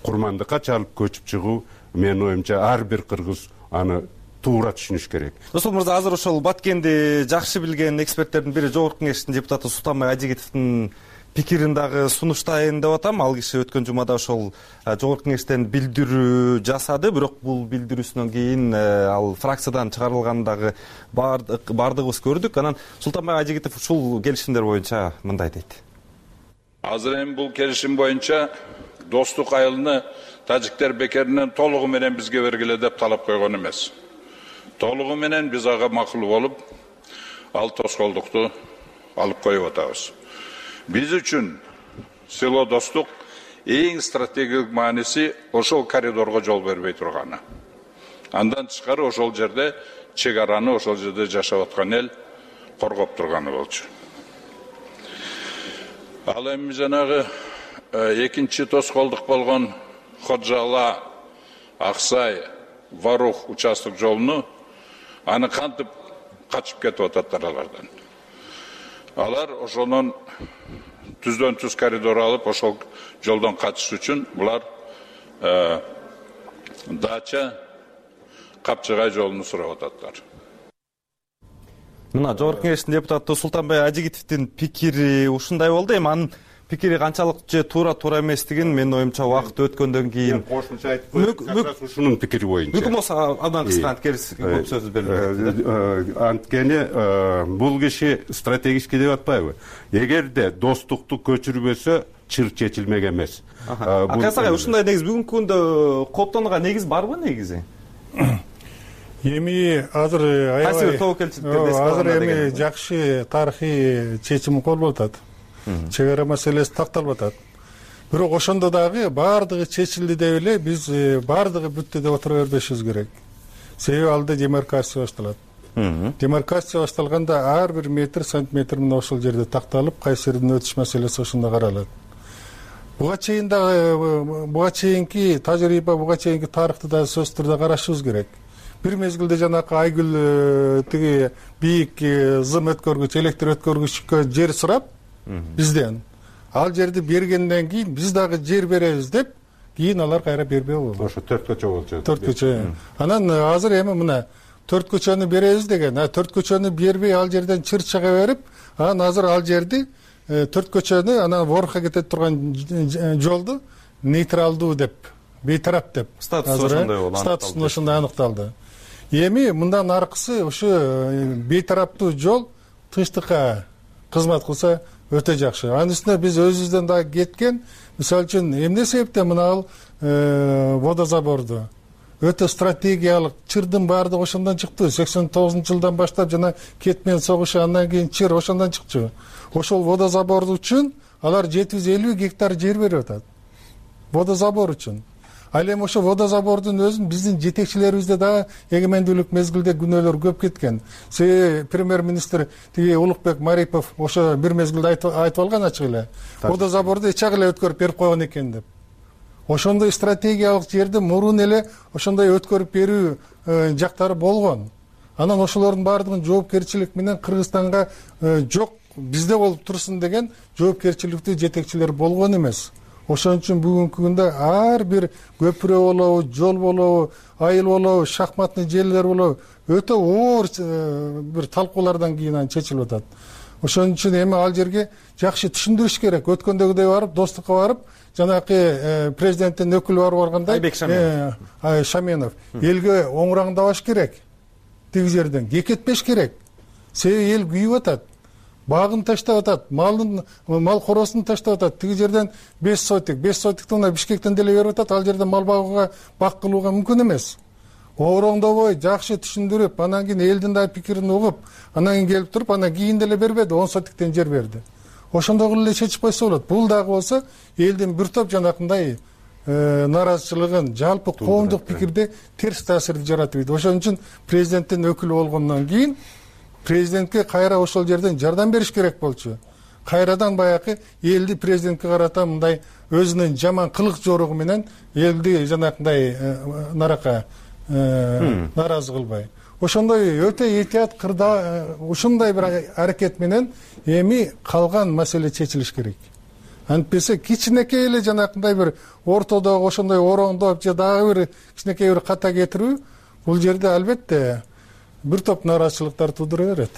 курмандыкка чалып көчүп чыгуу, менин оюмча ар бир кыргыз аны туура түшүнүш керек. Досол мырза, азыр ошол Баткенди жакшы билген эксперттердин бири Жогорку Кеңештин депутаты Султанбай Ажигитовдун пикирин дагы сунуштайын деп атам. Ал киши өткөн жумада ошол Жогорку Кеңештен билдирүү жасады, бирок бул билдирүүсүнөн кийин ал фракциядан чыгарылганын дагы бардыгыбыз көрдүк. Анан Султанбай Ажигитов ушул келишимдер боюнча мындай дейт. Азыр эми бул келишим боюнча достук айылыны тажиктер бекеринен толугу менен бизге бергиле деп талап койгон эмес. Толугу менен биз ага макул болуп, ал тоскоолдукту алып коюп атабыз. Биз үчүн село достук эң стратегиялык мааниси ошол коридорго жол бербей турганы. Андан тышкары ошол жерде чек араны, ошол жерде жашап аткан эл коргоп турганы болчу. Ал эми жанагы экинчи тоскоолдук болгон Ходжала, Аксай, Варух участок жолуну аны кантип качып кетип ататтар алардан. Алар ошонун түздөн түз коридор алып, ошол жолдон качыш үчүн булар Дача, Капчыгай жолуну сурап ататтар. Мына Жогорку Кеңештин депутаты Султанбай Ажигитовдун пикири ушундай болду. Эми анын пикири канчалык же туура туура эместигин менин оюмча убакыт өткөндөн кийин кошумча айтып койсок, ушунун пикири боюнча. Мүмкүн болсо андан кыска анткерис көп сөз берилет. Анткени бул киши стратегический деп атпайбы? Эгерде достукту көчүрбөсө, чыр чечилмек эмес. Акас агай, ушундай негиз бүгүнкү күндө кооптонууга негиз барбы негизи? Эми азыр аябай азыр эми жакшы тарыхый чечим колуп атат. Чек ара маселеси такталып атат. Бирок ошондо дагы баардыгы чечилди деп эле биз баардыгы бүттү деп отура бербешибиз керек. Себеби алда демаркация башталат. Демаркация башталганда ар бир метр, сантиметр менен ошол жерде такталып, кайсы жерден өтүш маселеси ошондо каралат. Буга чейин дагы буга чейинки тажрыйба, буга чейинки тарыхты да сөзсүз түрдө карашыбыз керек. Бир мезгилде жанакы Айгүл тиги бийик зым өткөргүч, электр өткөргүчкө жер сурап бизден. Ал жерди бергенден кийин биз дагы жер беребиз деп, кийин алар кайра бербей болду. Ошо төрт көчө болчу. төрт көчө. Анан азыр эми мына төрт көчөнү беребиз деген, а төрт көчөнү бербей ал жерден чыр чыга берип, анан азыр ал жерди төрт көчөнү анан Ворха кетет турган жолду нейтралдуу деп, бейтарап деп. Статусу ошондой болду. Статусу ошондой аныкталды. Эми мындан аркысы ушу бейтараптуу жол тынчтыкка кызмат кылса өтө жакшы. Анын үстүнө биз өзүбүздөн дагы кеткен, мисалы үчүн эмне себептен мына ал водозаборду өтө стратегиялык чырдын баардыгы ошондон чыкты. сексен тогузунчу жылдан баштап жана Кетмен согушу, андан кийин чыр ошондон чыкчу. Ошол водозабор үчүн алар жети жүз элүү гектар жер берип атат. Водозабор үчүн. Ал эми ошо водозабордун өзүн биздин жетекчилерибизде дагы эгемендүүлүк мезгилде күнөөлөр көп кеткен. Себеби премьер-министр тиги Улукбек Марипов ошо бир мезгилде айтып алган ачык эле. Водозаборду эчак эле өткөрүп берип койгон экен деп. Ошондой стратегиялык жерди мурун эле ошондой өткөрүп берүү жактары болгон. Анан ошолордун баардыгын жоопкерчилик менен Кыргызстанга жок, бизде болуп турсун деген жоопкерчиликтүү жетекчилер болгон эмес. Ошон үчүн бүгүнкү күндө ар бир көпүрө болобу, жол болобу, айыл болобу, шахматный желилер болобу, өтө оор бир талкуулардан кийин анан чечилип атат. Ошон үчүн эми ал жерге жакшы түшүндүрүш керек. Өткөндөгүдөй барып, достукка барып, жанакы президенттин өкүлү барып баргандай, Айбек Шаменов, Шаменов элге оңураңдабаш керек. Тиги жерден кекетпеш керек. Себеби эл күйүп атат. багын таштап атат, малын мал коросун таштап атат. Тиги жерден беш сотик, беш сотикти мына Бишкектен деле берип атат. Ал жерде мал багууга, бак кылууга мүмкүн эмес. Ороңдобой, жакшы түшүндүрүп, анан кийин элдин да пикирин угуп, анан кийин келип туруп, анан кийин деле бербеди, он сотиктен жер берди. Ошондой кылып эле чечип койсо болот. Бул дагы болсо элдин бир топ жанакындай нааразычылыгын, жалпы коомдук пикирде терс таасирди жаратып ийди. Ошон үчүн президенттин өкүлү болгондон кийин президентке кайра ошол жерден жардам бериш керек болчу. Кайрадан баягы элди президентке карата мындай өзүнүн жаман кылык жоругу менен элди жанакындай нарака нааразы кылбай. Ошондой өтө этият кырда ушундай бир аракет менен эми калган маселе чечилиш керек. Антпесе кичинекей эле жанакындай бир ортодогу ошондой ороңдоп же дагы бир кичинекей бир ката кетирүү бул жерде албетте бир топ нааразычылыктар туудура берет.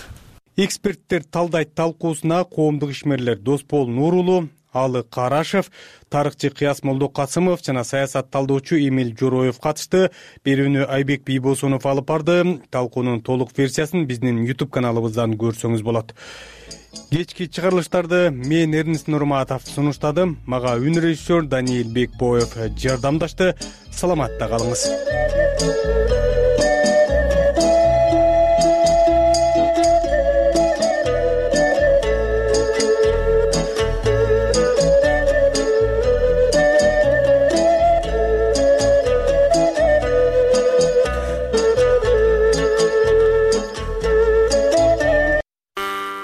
Эксперттер талдайт талкуусуна коомдук ишмерлер Доспол Нурулу, Алы Карашев, тарыхчы Кыяс Молдокасымов жана саясат талдоочу Эмил Жороев катышты. Берүүнү Айбек Бийбосунов алып барды. Талкуунун толук версиясын биздин YouTube каналыбыздан көрсөңүз болот. Кечки чыгарылыштарды мен Эрнест Нурматов сунуштадым. Мага үн режиссер Даниил Бекбоев жардамдашты. Саламатта калыңыз.